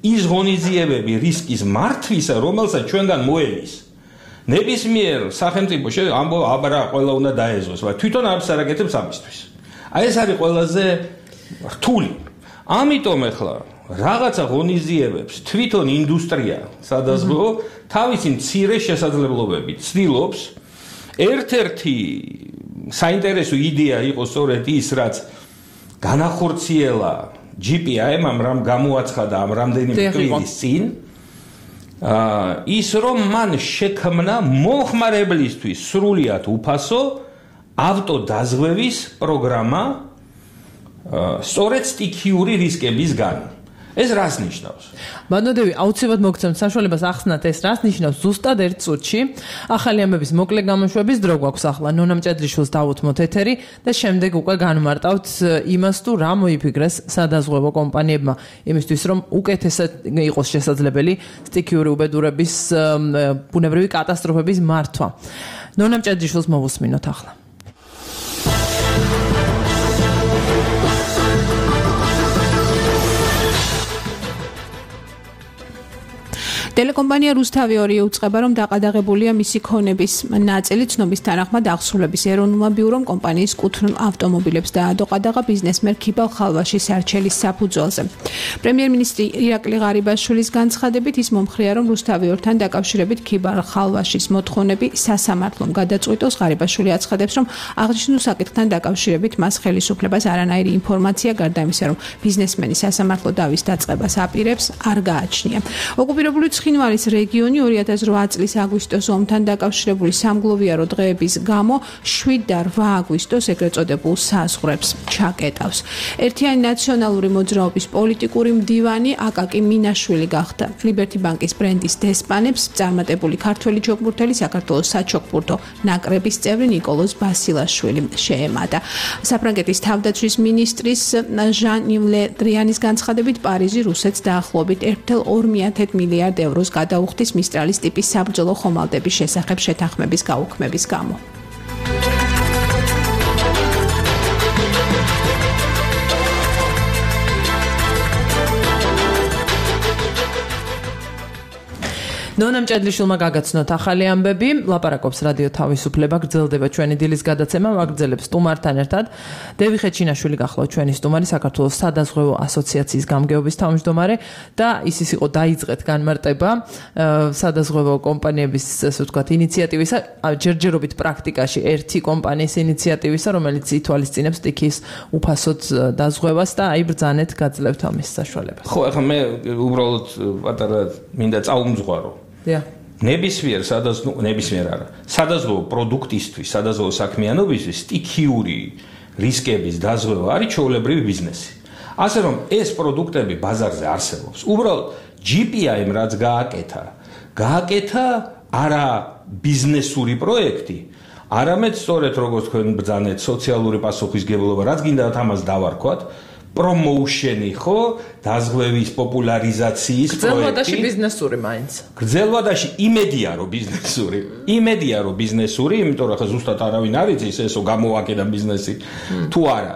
V: ის ღონისძიებები რისკის მართვისა, რომელსაც ჩვენგან მოელის. ნებისმიერ სახელმწიფო ამბობ, ყველა უნდა დაეძოს, მაგრამ თვითონ არც არ აკეთებს ამისთვის. აი ეს არის ყველაზე რთული. ამიტომ ახლა რაღაცა ღონისძიებებს თვითონ ინდუსტრია სადაზღვევო თავისი მცირე შესაძლებლობებით ცდილობს ერთ-ერთი საინტერესო იდეა იყო სწორედ ის, რაც განახორციელა GPIM-ამ რამ გამოაცხადა ამ რამდენიმე თვლის წინ. ის რომ მან შექმნა მომხმარებლისთვის სრულიად უფასო ავტოდაზღვევის პროგრამა სწორედ სტიქიური რისკებისგან. ეს რას ნიშნავს?
B: ბანოდევი აუცილებლად მოგცემთ საშუალებას ახსნათ ეს რას ნიშნავს ზუსტად ერთ წუთში. ახალი ამბების მოკლე გამოშვების დრო გვაქვს ახლა. ნონა მჭედლიშვილს დავუთმოთ ეთერი და შემდეგ უკვე განმარტავთ იმას თუ რა მოიფიქრეს სადაზღვევო კომპანიებმა იმისთვის რომ უკეთესად იყოს შესაძლებელი სტიქიური უბედურების ბუნებრივი კატასტროფების მართვა. ნონა მჭედლიშვილს მოვუსმინოთ ახლა.
C: ტელეკომპანია რუსთავი 2 უწყება, რომ დაყადაღებულია მისი ქონების ნაწილი ცნობის თანახმად აღსრულების ეროვნულმა ბიურომ კომპანიის კუთვნილ ავტომობილებს დაადო ყადაღა ბიზნესმენ ქიბალ ხალვაშის არჩელის საფუძველზე. პრემიერ-მინისტრი ირაკლი ღარიბაშვილის განცხადებით ის მომხრია, რომ რუსთავი 2-თან დაკავშირებით ქიბალ ხალვაშის მოთხოვნები სასამართლომ გადაწყვიტოს. ღარიბაშვილი აცხადებს, რომ აღნიშნულ საკითხთან დაკავშირებით მას ხელისუფლებას არანაირი ინფორმაცია გარდა იმისა, რომ ბიზნესმენი სასამართლო დავის დაწყებას აპირებს, არ გააჩნია. ოკუპირებული ცხინვალის რეგიონი 2008 წლის აგვისტოს ომთან დაკავშირებული სამგლოვიარო დღეების გამო 7 და 8 აგვისტოს ეგრეთ წოდებულ საზღვრებს ჩაკეტავს. ერთიანი ნაციონალური მოძრაობის პოლიტიკური მდივანი აკაკი მინაშვილი გახდა. ლიბერტი ბანკის ბრენდის დესპანებს წარმატებული ქართველი ჩოგბურთელი საქართველოს საჩოგბურთო ნაკრების წევრი ნიკოლოზ ბასილაშვილი შეემატა. საფრანგეთის თავდაცვის მინისტრის ჟან-იվ ლე დრიანის განცხადებით პარიზი რუსეთს დაახლოებით 1,2 მილიარდ ევროს გადაუხდის მისტრალის ტიპის საბრძოლო ხომალდების შესახებ შეთანხმების გაუქმების გამო. ნონა მჭედლიშვილმა გაგაცნოთ ახალი ამბები, ლაპარაკობს რადიო თავისუფლება, გრძელდება ჩვენი დილის გადაცემა, ვაგრძელებს სტუმართან ერთად. დევი ხეჩინაშვილი გახლავთ ჩვენი სტუმარი, საქართველოს სადაზღვევო ასოციაციის გამგეობის თავმჯდომარე და ის იყო დაიწყეთ განმარტება სადაზღვევო კომპანიების, ასე ვთქვათ, ინიციატივისა, ჯერჯერობით პრაქტიკაში ერთი კომპანიის ინიციატივისა, რომელიც ითვალისწინებს სტიქის უფასოდ დაზღვევას და აი ბრძანეთ გაძლევთ ამის საშუალებას.
V: ხო, ახლა მე უბრალოდ პატარა მინდა წაუმძღვარო. ნებისმიერ არა. სადაზღვევო პროდუქტისთვის, სადაზღვევო საქმიანობისთვის სტიქიური რისკების დაზღვევა არის ჩვეულებრივი ბიზნესი. ასე რომ ეს პროდუქტები ბაზარზე არსებობს. უბრალოდ GPIM რაც გააკეთა არა ბიზნესური პროექტი, არამედ სწორედ როგორც თქვენ ბრძანეთ სოციალური პასუხისგებლობა, რაც გინდათ ამას დავარქვათ, პრომოუშენი ხო, დაზღვევის პოპულარიზაციის პროექტი.
B: გრძელვადაში ბიზნესური მაინც.
V: გრძელვადაში იმედია რომ ბიზნესური, იმიტომ რომ ხა ზუსტად არავინ არ იცის ესო გამოაკეთა ბიზნესი თუ არა.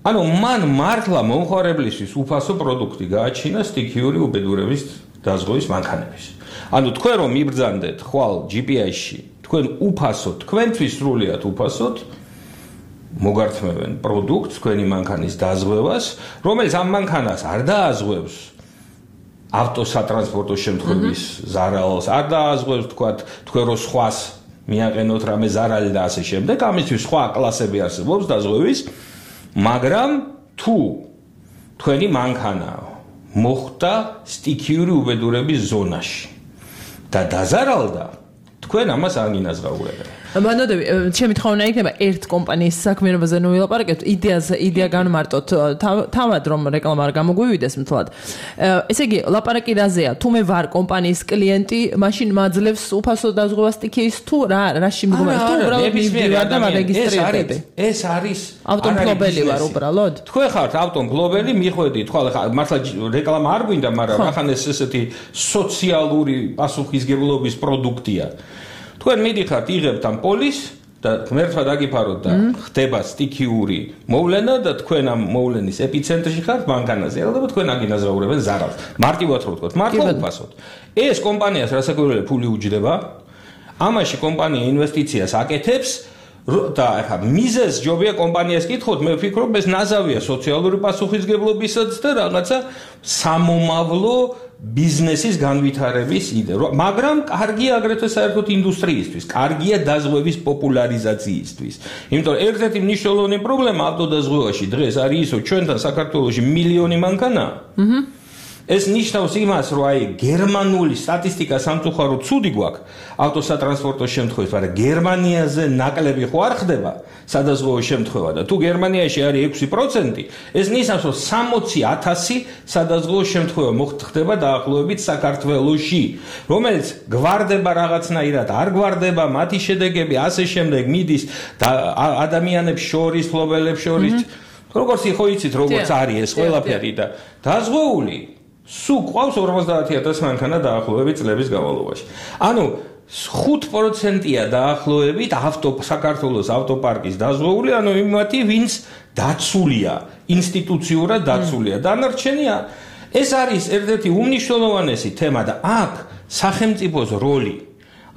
V: ანუ მან მართლა მომხმარებლისთვის უფასო პროდუქტი გააჩინა სტიქიური უბედურების დაზღვევის მანქანების. ანუ თქვენ რომ მიბრძანდეთ ხვალ GPI-ში, თქვენ უფასოდ, თქვენთვის სრულიად უფასოდ მოგართმევენ პროდუქტს, თქვენი მანქანის დაზღვევას, რომელიც ამ მანქანას არ დააზღვევს ავტოსატრანსპორტო შემთხვევის ზარალს, არ დააზღვევს თქვენ რო სხვას მიაყენოთ რამე ზარალი და ასე შემდეგ, ამისთვის სხვა კლასები არსებობს დაზღვევის, მაგრამ თუ თქვენი მანქანა მოხვდა სტიქიური უბედურების ზონაში და დაზარალდა, თქვენ ამას არ გინაზღაურებთ.
B: ბანოდები, ჩემი თხოვნა იქნება ერთ კომპანიის საქმიანობაზე ნუ ვილაპარაკებთ, იდეა განმარტოთ, თავად რომ რეკლამა არ გამოგვივიდეს მთლად. ესე იგი, ლაპარაკი რაზეა? თუ მე ვარ კომპანიის კლიენტი, მაშინ მაძლევს უფასო დაზღვევას სტიქიის თუ რაში მდგომარეობ? თუ უბრალოდ მივდივარ და მარეგისტრირდები?
V: ეს არის
B: ავტომფლობელი ვარ უბრალოდ.
V: თქვენ ხართ ავტომფლობელი, მიხვედით, ხვალ მართლა რეკლამა არ გვინდა, მაგრამ ახან ეს ესეთი სოციალური პასუხისგებლობის პროდუქტია. თქვენ მიდიხართ, იღებთ ამ პოლისს და ღმერთმა დაგიფაროთ და ხდება სტიქიური მოვლენა და თქვენ ამ მოვლენის ეპიცენტრში ხართ მანქანაზე. ალბათ თქვენ აგინაზრაურებენ ზარალს. მარტივად რო ვთქვათ, მართლა უფასოდ. ეს კომპანიას რასაკვირველია ფული უჯდება. ამაში კომპანია ინვესტიციას აკეთებს და ახლა მიზეს ჯობია კომპანიას კითხოთ, მე ვფიქრობ ეს ნაზავია სოციალური პასუხისგებლობისაც და რაღაცა სამომავლო ბიზნესის განვითარების იდეა, მაგრამ კარგია აგრეთვე საერთოდ ინდუსტრიისთვის, კარგია დაზღვევის პოპულარიზაციისთვის. იმიტომ რომ ერთ-ერთი მნიშვნელოვანი პრობლემა ავტოდაზღვევაში დღეს არის ის, რომ ჩვენთან საქართველოში მილიონი მანქანაა. ეს ნიშნავს იმას, რომ აი გერმანული სტატისტიკა სამწუხაროდ ცუდი გვაქვს ავტოსატრანსპორტო შემთხვევაში, მაგრამ გერმანიაზე ნაკლები ხო არ ხდება სადაზღვევო შემთხვევა და თუ გერმანიაში არის 6%, ეს ნიშნავს, რომ 60,000 სადაზღვევო შემთხვევა მოხდება დაახლოებით საქართველოში, რომელიც გვარდება რაღაცნაირად, არ გვარდება, მათი შედეგები ასე შემდეგ მიდის ადამიანებს შორის, ფლობელებს შორის, როგორც ხო იცით, როგორც არის ეს ყველაფერი და დაზღვეული სულ ყავს 50,000 მანქანა დაახლოებით წლების განმავლობაში. ანუ 5%-ია დაახლოებით საქართველოს ავტოპარკის დაზღვეული, ანუ იმათი, ვინც დაცულია, ინსტიტუციურად დაცულია. დანარჩენია ეს არის ერთ-ერთი უმნიშვნელოვანესი თემა და აქ სახელმწიფოს როლი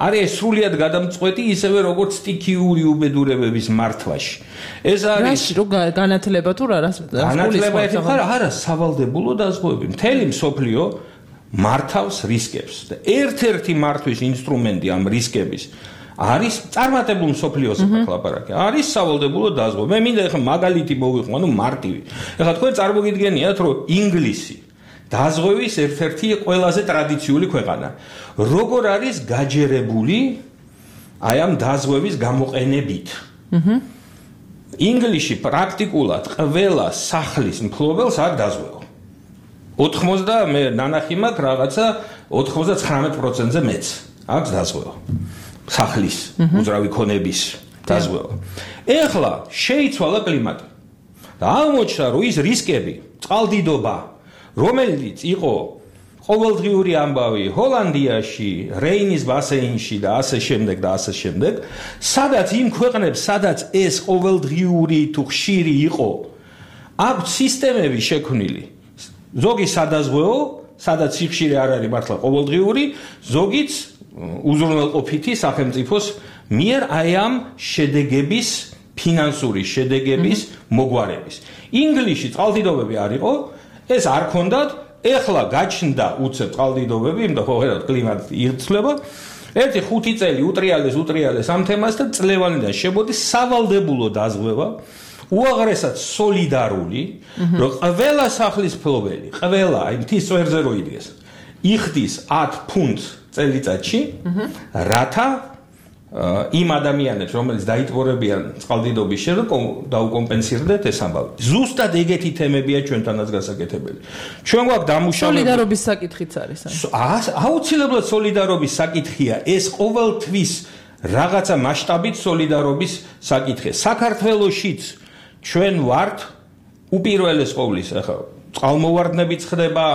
V: არის სრულიად გადამწყვეტი ისევე როგორც სტიქიური უბედურებების მართვაში. ეს არის
B: რო განათლება თუ რა
V: განათლება არა სავალდებულო დაზღვევები. მთელი მსოფლიო მართავს რისკებს და ერთ-ერთი მართვის ინსტრუმენტი ამ რისკების არის წარმატებულ მსოფლიოს ლაპარაკი. არის სავალდებულო დაზღვევა. მე მინდა ეხლა მაგალითი მოვიყვანო, ანუ მარტივი. ეხლა თქვენ წარმოგიდგენიათ, რომ ინგლისი დაზღვევის ერთ-ერთი ყველაზე ტრადიციული ქვეყანა. როგორ არის გაჯერებული აი ამ დაზღვევის გამოყენებით? ინგლისში პრაქტიკულად ყველა სახლის მფლობელს არ დაზღვევა. 80 მე ნანახი მაქვს რაღაცა 99%-ზე მეც აქვს დაზღვევა. სახლის უძრავი ქონების დაზღვევა. ეხლა შეიცვალა კლიმატი. და აღმოჩნდა, რომ ის რისკები, წყალდიდობა, რომელიც იყო ყოველდღიური ამბავი ჰოლანდიაში, რეინის ბასეინში და ასე შემდეგ და ასე შემდეგ, სადაც იმ ქვეყნებს, სადაც ეს ყოველდღიური თუ ხშირი იყო, აქვს სისტემები შექმნილი. ზოგი სადაზღვეო, სადაც სიხშირე არ არის მართლა ყოველდღიური, ზოგიც უზრუნველყოფითი სახელმწიფოს მიერ აი ამ შედეგების ფინანსური შედეგების მოგვარების. ინგლისში წყალდიდობები არ იყო, ეს არ ქონდათ, ეხლა გაჩნდა უცებ წყალდიდობები, იმიტომ რომ ხედავთ კლიმატი იცვლება. ერთი 5 წელი უტრიალეს ამ თემას და წლევანიდან შემოდის სავალდებულო დაზღვევა, უაღრესად სოლიდარული, რომ ყველა სახლის მფლობელი, ყველა აი მთის წვერზე რო იდგეს, იხდის 10 ფუნტს წელიწადში, რათა იმ ადამიანებს, რომელიც დაიტბორებიან წყალდიდობის შემდეგ, დაუკომპენსირდეთ ეს ამბავი. ზუსტად ეგეთი თემებია ჩვენთანაც გასაკეთებელი. ჩვენ გვაქვს დამუშავებული
B: სოლიდარობის საკითხიც არის.
V: აუცილებლად სოლიდარობის საკითხია. ეს ყოველთვის რაღაცა მასშტაბით სოლიდარობის საკითხია. საქართველოშიც ჩვენ ვართ უპირველეს ყოვლის, ახლა წყალმოვარდნებიც ხდება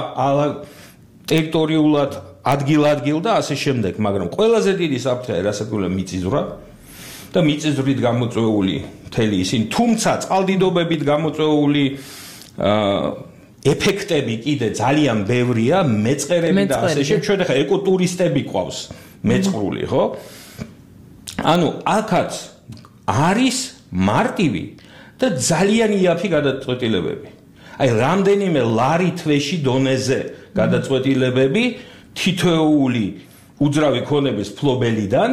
V: ტერიტორიულად ადგილ-ადგილ და ასე შემდეგ, მაგრამ ყველაზე დიდი საფრთხე რასაკვირველია მიწისძვრა და მიწისძვრით გამოწვეული მთელი ისინი, თუმცა წყალდიდობებით გამოწვეული ეფექტები კიდე ძალიან ბევრია, მეწყერები და ასე შემდეგ. ჩვენ ახლა ეკოტურისტები ყავს მეწყრული, ხო? ანუ აქაც არის მარტივი და ძალიან იაფი გადაწყვეტილებები. აი რამდენიმე ლარი თვეში დონეზე გადაწყვეტილებები თითოეული უძრავი ქონების ფლობელიდან,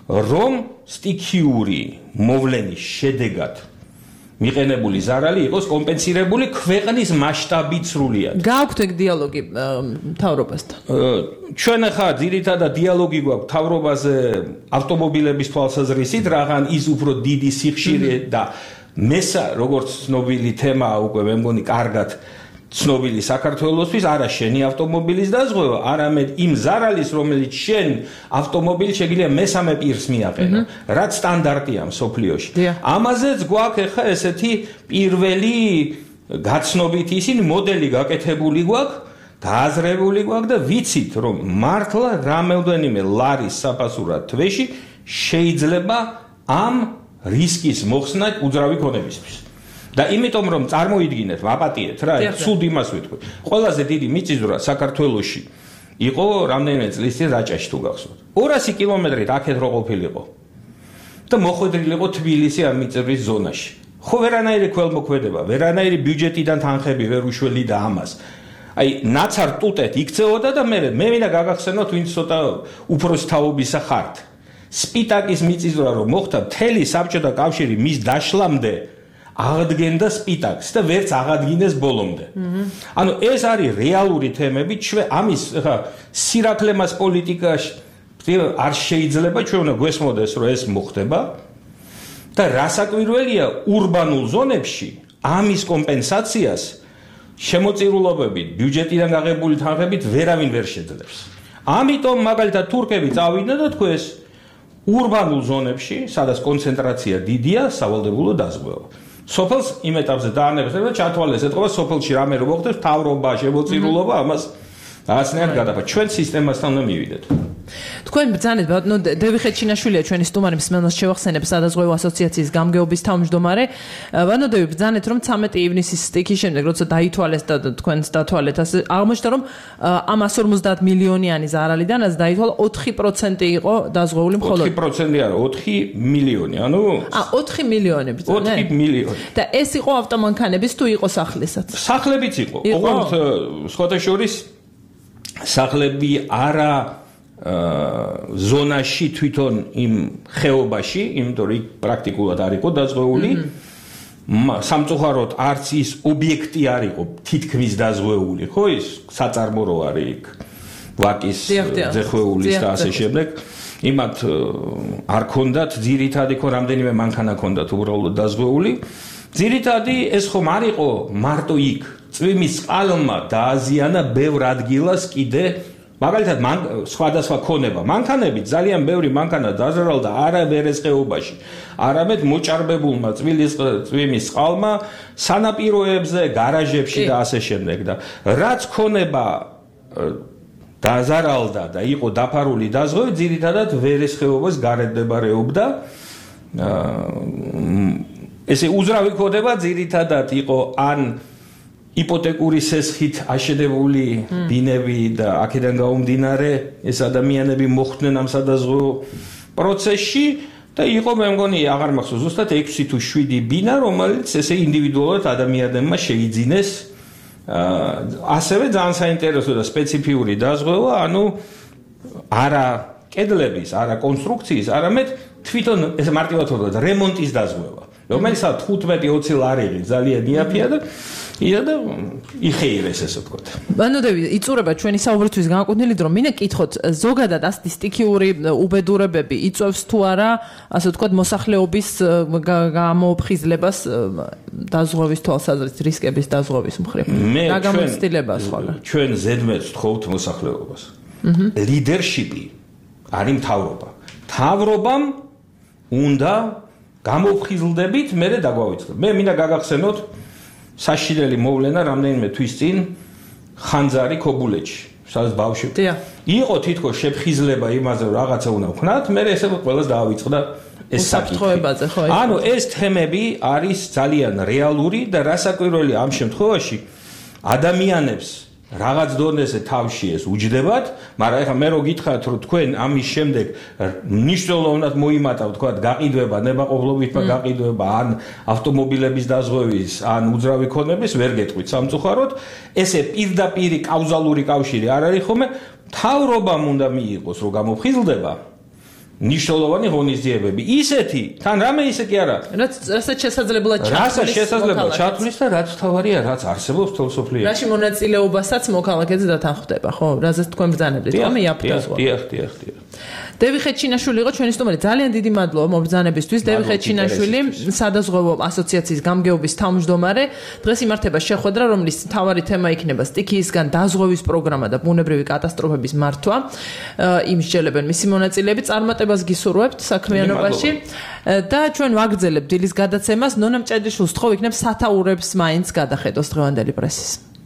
V: რომ სტიქიური მოვლენის შედეგად მიყენებული ზარალი იყოს კომპენსირებული ქვეყნის მასშტაბით სრულიად.
B: გააქვთ ეგ დიალოგი მთავრობასთან?
V: ჩვენ ახლა ძირითადად დიალოგი გვაქვს მთავრობაზე ავტომობილების თვალსაზრისით, რაღან ის უფრო დიდი სიხშირე და როგორც ცნობილი თემაა უკვე მე მგონი კარგად ცნობილი საქართველოსთვის, არა შენი ავტომობილის დაზღვევა, არამედ იმ ზარალის, რომელიც შენ ავტომობილი შეგიძლია მესამე პირს მიაყენო, რაც სტანდარტია მსოფლიოში. ამაზეც გვაქვს ახლა ესეთი პირველი გაცნობით ისინი მოდელი გაკეთებული გვაქვს, გააზრებული გვაქვს და ვიცით, რომ მართლა რამოდენიმე ლარის საფასურად თვეში შეიძლება ამ რისკის მოხსნა უძრავი ქონებისთვის. და იმიტომ რომ წარმოიდგინეთ, ვაპატიეთ რა, ცუდ იმას ვიტყვი. ყველაზე დიდი მიწისძვრა საქართველოში იყო რამდენიმე წლის წინ რაჭაში თუ გახსოვთ. 200 კილომეტრით აქეთ რო ყოფილიყო. და მოხვედრილიყო თბილისი ამ მიწისძვრის ზონაში. ხო ვერანაირი ქველმოქმედება, ვერანაირი ბიუჯეტიდან თანხები ვერ უშველიდა ამას. აი ნაცარ ტუტეთ იქცეოდა და მე მინდა გაგახსენოთ ვინც ცოტა უფროსი თაობისა ხართ. სპიტაკის მიწისძვრა რომ მოხდა მთელი საბჭოთა კავშირი მის დაშლამდე აღდგენდა სპიტაკს და ვერც აღადგინეს ბოლომდე. ანუ ეს არის რეალური თემები, ამის ხა სირაქლემას პოლიტიკაში არ შეიძლება ჩვენ უნდა გვესმოდეს რომ ეს მოხდება და რასაკვირველია ურბანულ ზონებში ამის კომპენსაციას შემოწირულობებით ბიუჯეტიდან გაღებული თანხებით ვერავინ ვერ შეძლებს. ამიტომ მაგალითად თურქები წავიდნენ და თქვეს ურბანულ ზონებში, სადაც კონცენტრაცია დიდია, სავალდებულო დაზღვევა. სოფელს იმ ეტაპზე დაანებეს და ჩათვალეს ეთქობა სოფელში რამე რომ მოხდეს, თავრობა, შემოწირულობა, ამას რაღაცნაირად გადაფა. ჩვენ სისტემასთან უნდა მივიდეთ.
B: თქვენ ბრძანეთ ბატონო დევი ხეჩინაშვილია ჩვენი სტუმარი მსმენელს შევახსენებ სადაზღვევო ასოციაციის გამგეობის თავმჯდომარე. ბატონო დევი ბრძანეთ რომ 13 ივნისის სტიქის შემდეგ როცა დაითვალეს და თქვენს დათვალეთ ასე აღმოჩნდა რომ ამ 150 მილიონიანი ზარალიდანაც დაითვალა 4% იყო დაზღვეული მხოლოდ
V: 4% არა 4 მილიონი ანუ
B: 4 მილიონი ბრძანეთ
V: 4 მილიონი
B: და ეს იყო ავტომანქანების თუ იყო სახლებსაც
V: სახლებიც იყო ოღონდ სხვათა შორის სახლები არა ზონაში თვითონ იმ ხეობაში, იმიტომ რომ პრაქტიკულად არ იყო დაზღვეული. სამწუხაროდ არც ის ობიექტი არ იყო თითქმის დაზღვეული, ხო ის საწარმო რო არის იქ ვაკის ზეხვეულის და ასე შემდეგ. იმათ არ ქონდათ ძირითადი ხო რამდენიმე მანქანა ქონდათ უბრალოდ დაზღვეული. ძირითადი ეს ხომ არ იყო მარტო იქ. წვიმის წყალმა დააზიანა ბევრ ადგილას კიდე მაგალითად სხვადასხვა ქონება მანქანები ძალიან ბევრი მანქანა დაზარალდა არა ვერესყეობაში არამედ მოჭარბებულმა წვიმის წყალმა სანაპიროებზე გარაჟებში და ასე შემდეგ და რაც ქონება დაზარალდა და იყო დაფარული დაზღვევით ძირითადად ვერესყეობას გარეთდებარეობდა ესე უძრავი ქონება ძირითადად იყო ან იპოთეკური სესხით აშენებული ბინები და აქედან გაუმდინარე ეს ადამიანები მოხვდნენ ამ სადაზღვევო პროცესში და იყო მე მგონი აღარ მახსოვს ზუსტად 6 თუ 7 ბინა რომელიც ესე ინდივიდუალურად ადამიანებმა შეიძინეს ასევე ძალიან საინტერესო და სპეციფიური დაზღვევა ანუ არა კედლების არა კონსტრუქციის არამედ თვითონ ეს მარტივად ვთქვათ რემონტის დაზღვევა რომელსაც 15-20 ლარი ძალიან იაფია და იდა იხეირეს ესე ვთქვათ.
B: ბანო დევი, იწურება ჩვენი საუბრისთვის განკუთვნილი დრო. მინდა კითხოთ, ზოგადად ასეთი სტიქიური უბედურებები იწვევს თუ არა, ასე ვთქვათ, მოსახლეობის გამოუფხიზლებას დაზღვევის თვალსაზრისით, რისკების დაზღვევის მხრივ. რა გამოცდილებაა ხოლმე?
V: ჩვენ ზედმეტს ვთხოვთ მოსახლეობას. ლიდერშიპი არის მთავრობა. მთავრობამ უნდა გამოუფხიზლდებით მე დაგვავიწყდეთ. მე მინდა გაგახსენოთ საშინელი მოვლენა რამდენიმე თვის წინ ხანძარი ქობულეთში, სადაც ბავშვები. იყო თითქოს შეფხიზლება იმაზე, რომ რაღაცა უნდა ვქნათ, მე ესე ყველას დაავიწყდა ეს
B: საკითხი.
V: ანუ ეს თემები არის ძალიან რეალური და რასაკვირველია ამ შემთხვევაში ადამიანებს რაღაც დონეზე თავში ეს უჯდებათ, მაგრამ ეხლა მე რო გითხრათ, რომ თქვენ ამის შემდეგ მნიშვნელოვნად მოიმატა, ვთქვათ, გაყიდვება, ნებაყოფლობითმა გაყიდვება, ან ავტომობილების დაზღვევის, ან უძრავი ქონების, ვერ გეტყვით სამწუხაროდ, ესე პირდაპირი კაუზალური კავშირი არ არის ხოლმე, მთავრობამ უნდა მიიღოს, რომ გამოფხიზლდება ნიშნულოვანი ღონისძიებები. ისეთი, თან რამე ისე კი არა.
B: რასაც შესაძლებლად
V: ჩათვლის და რაც თავარია, რაც არსებობს თელ სოფლიოში.
B: რაში მონაწილეობასაც მოქალაქეზე დათანხმდება, ხო? რაზეც თქვენ ბრძანებდით, ხომ?
V: დიახ.
B: დევი ხეჩინაშვილი იყო ჩვენი სტუმარი. ძალიან დიდი მადლობა მობრძანებისთვის. დევი ხეჩინაშვილი, სადაზღვევო ასოციაციის გამგეობის თავმჯდომარე. დღეს იმართება შეხვედრა, რომლის მთავარი თემა იქნება სტიქიისგან დაზღვევის პროგრამა და ბუნებრივი კატასტროფების მართვა. იმსჯელებენ მისი მონაწილეები. წარმატებას გისურვებთ საქმიანობაში და ჩვენ ვაგრძელებთ დილის გადაცემას. ნონა მჭედიშვილს თხოვ იქნებ სათაურებს მაინც გადახედოს დღევანდელი პრესის.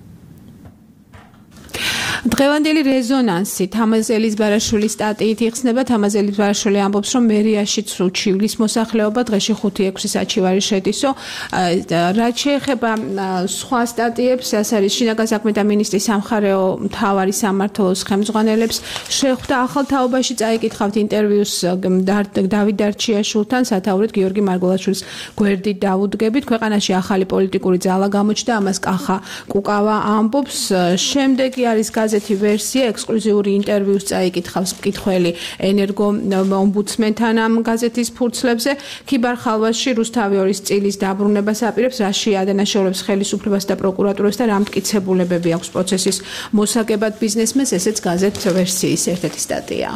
C: დღევანდელი რეზონანსი თამაზელის ბარაშვილის სტატიით იხსნება. თამაზელის ბარაშვილი ამბობს, რომ მერიაშიც უჩივლის მოსახლეობა დღეში 5-6 საჩივარი შედისო. რაც შეეხება სხვა სტატიებს, ეს არის შინაგან საქმეთა მინისტრის სამხარეო მთავარი სამმართველოს ხელმძღვანელებს შეხვდა ახალ თაობაში. წაიკითხავთ ინტერვიუს დავით დარჩიაშვილთან, სათაურით გიორგი მარგველაშვილის გვერდით დავუდგებით. ქვეყანაში ახალი პოლიტიკური ძალა გამოჩნდა, ამას კახა კუკავა ამბობს. შემდეგი არის გაზეთი ვერსია, ექსკლუზიური ინტერვიუს წაიკითხავს მკითხველი ენერგო ომბუდსმენთან ამ გაზეთის ფურცლებზე. ქიბარ ხალვასში რუსთავი 2 წილის დაბრუნებას აპირებს, რაში ადანაშაულებს ხელისუფლებას და პროკურატურას და რა მტკიცებულებები აქვს პროცესის მოსაგებად ბიზნესმენს, ესეც გაზეთ ვერსიის ერთ-ერთი სტატია.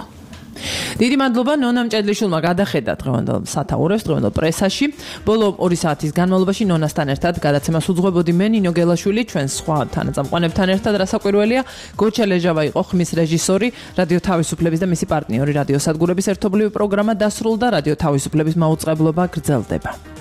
C: დიდი მადლობა ნონა მჭედლიშვილმა გადახედა დღევანდელ სათაურებს დღევანდელ პრესაში. ბოლო 2 საათის განმავლობაში ნონასთან ერთად გადაცემას უძღვებოდი მე ნინო გელაშვილი, ჩვენ სხვა თანაწამყვანებთან ერთად. რასაკვირველია, გოჩა ლეჟავა იყო ხმის რეჟისორი, რადიო თავისუფლების და მისი პარტნიორი რადიო სადგურების ერთობლივი პროგრამა დასრულდა, რადიო თავისუფლების მაუწყებლობა გრძელდება.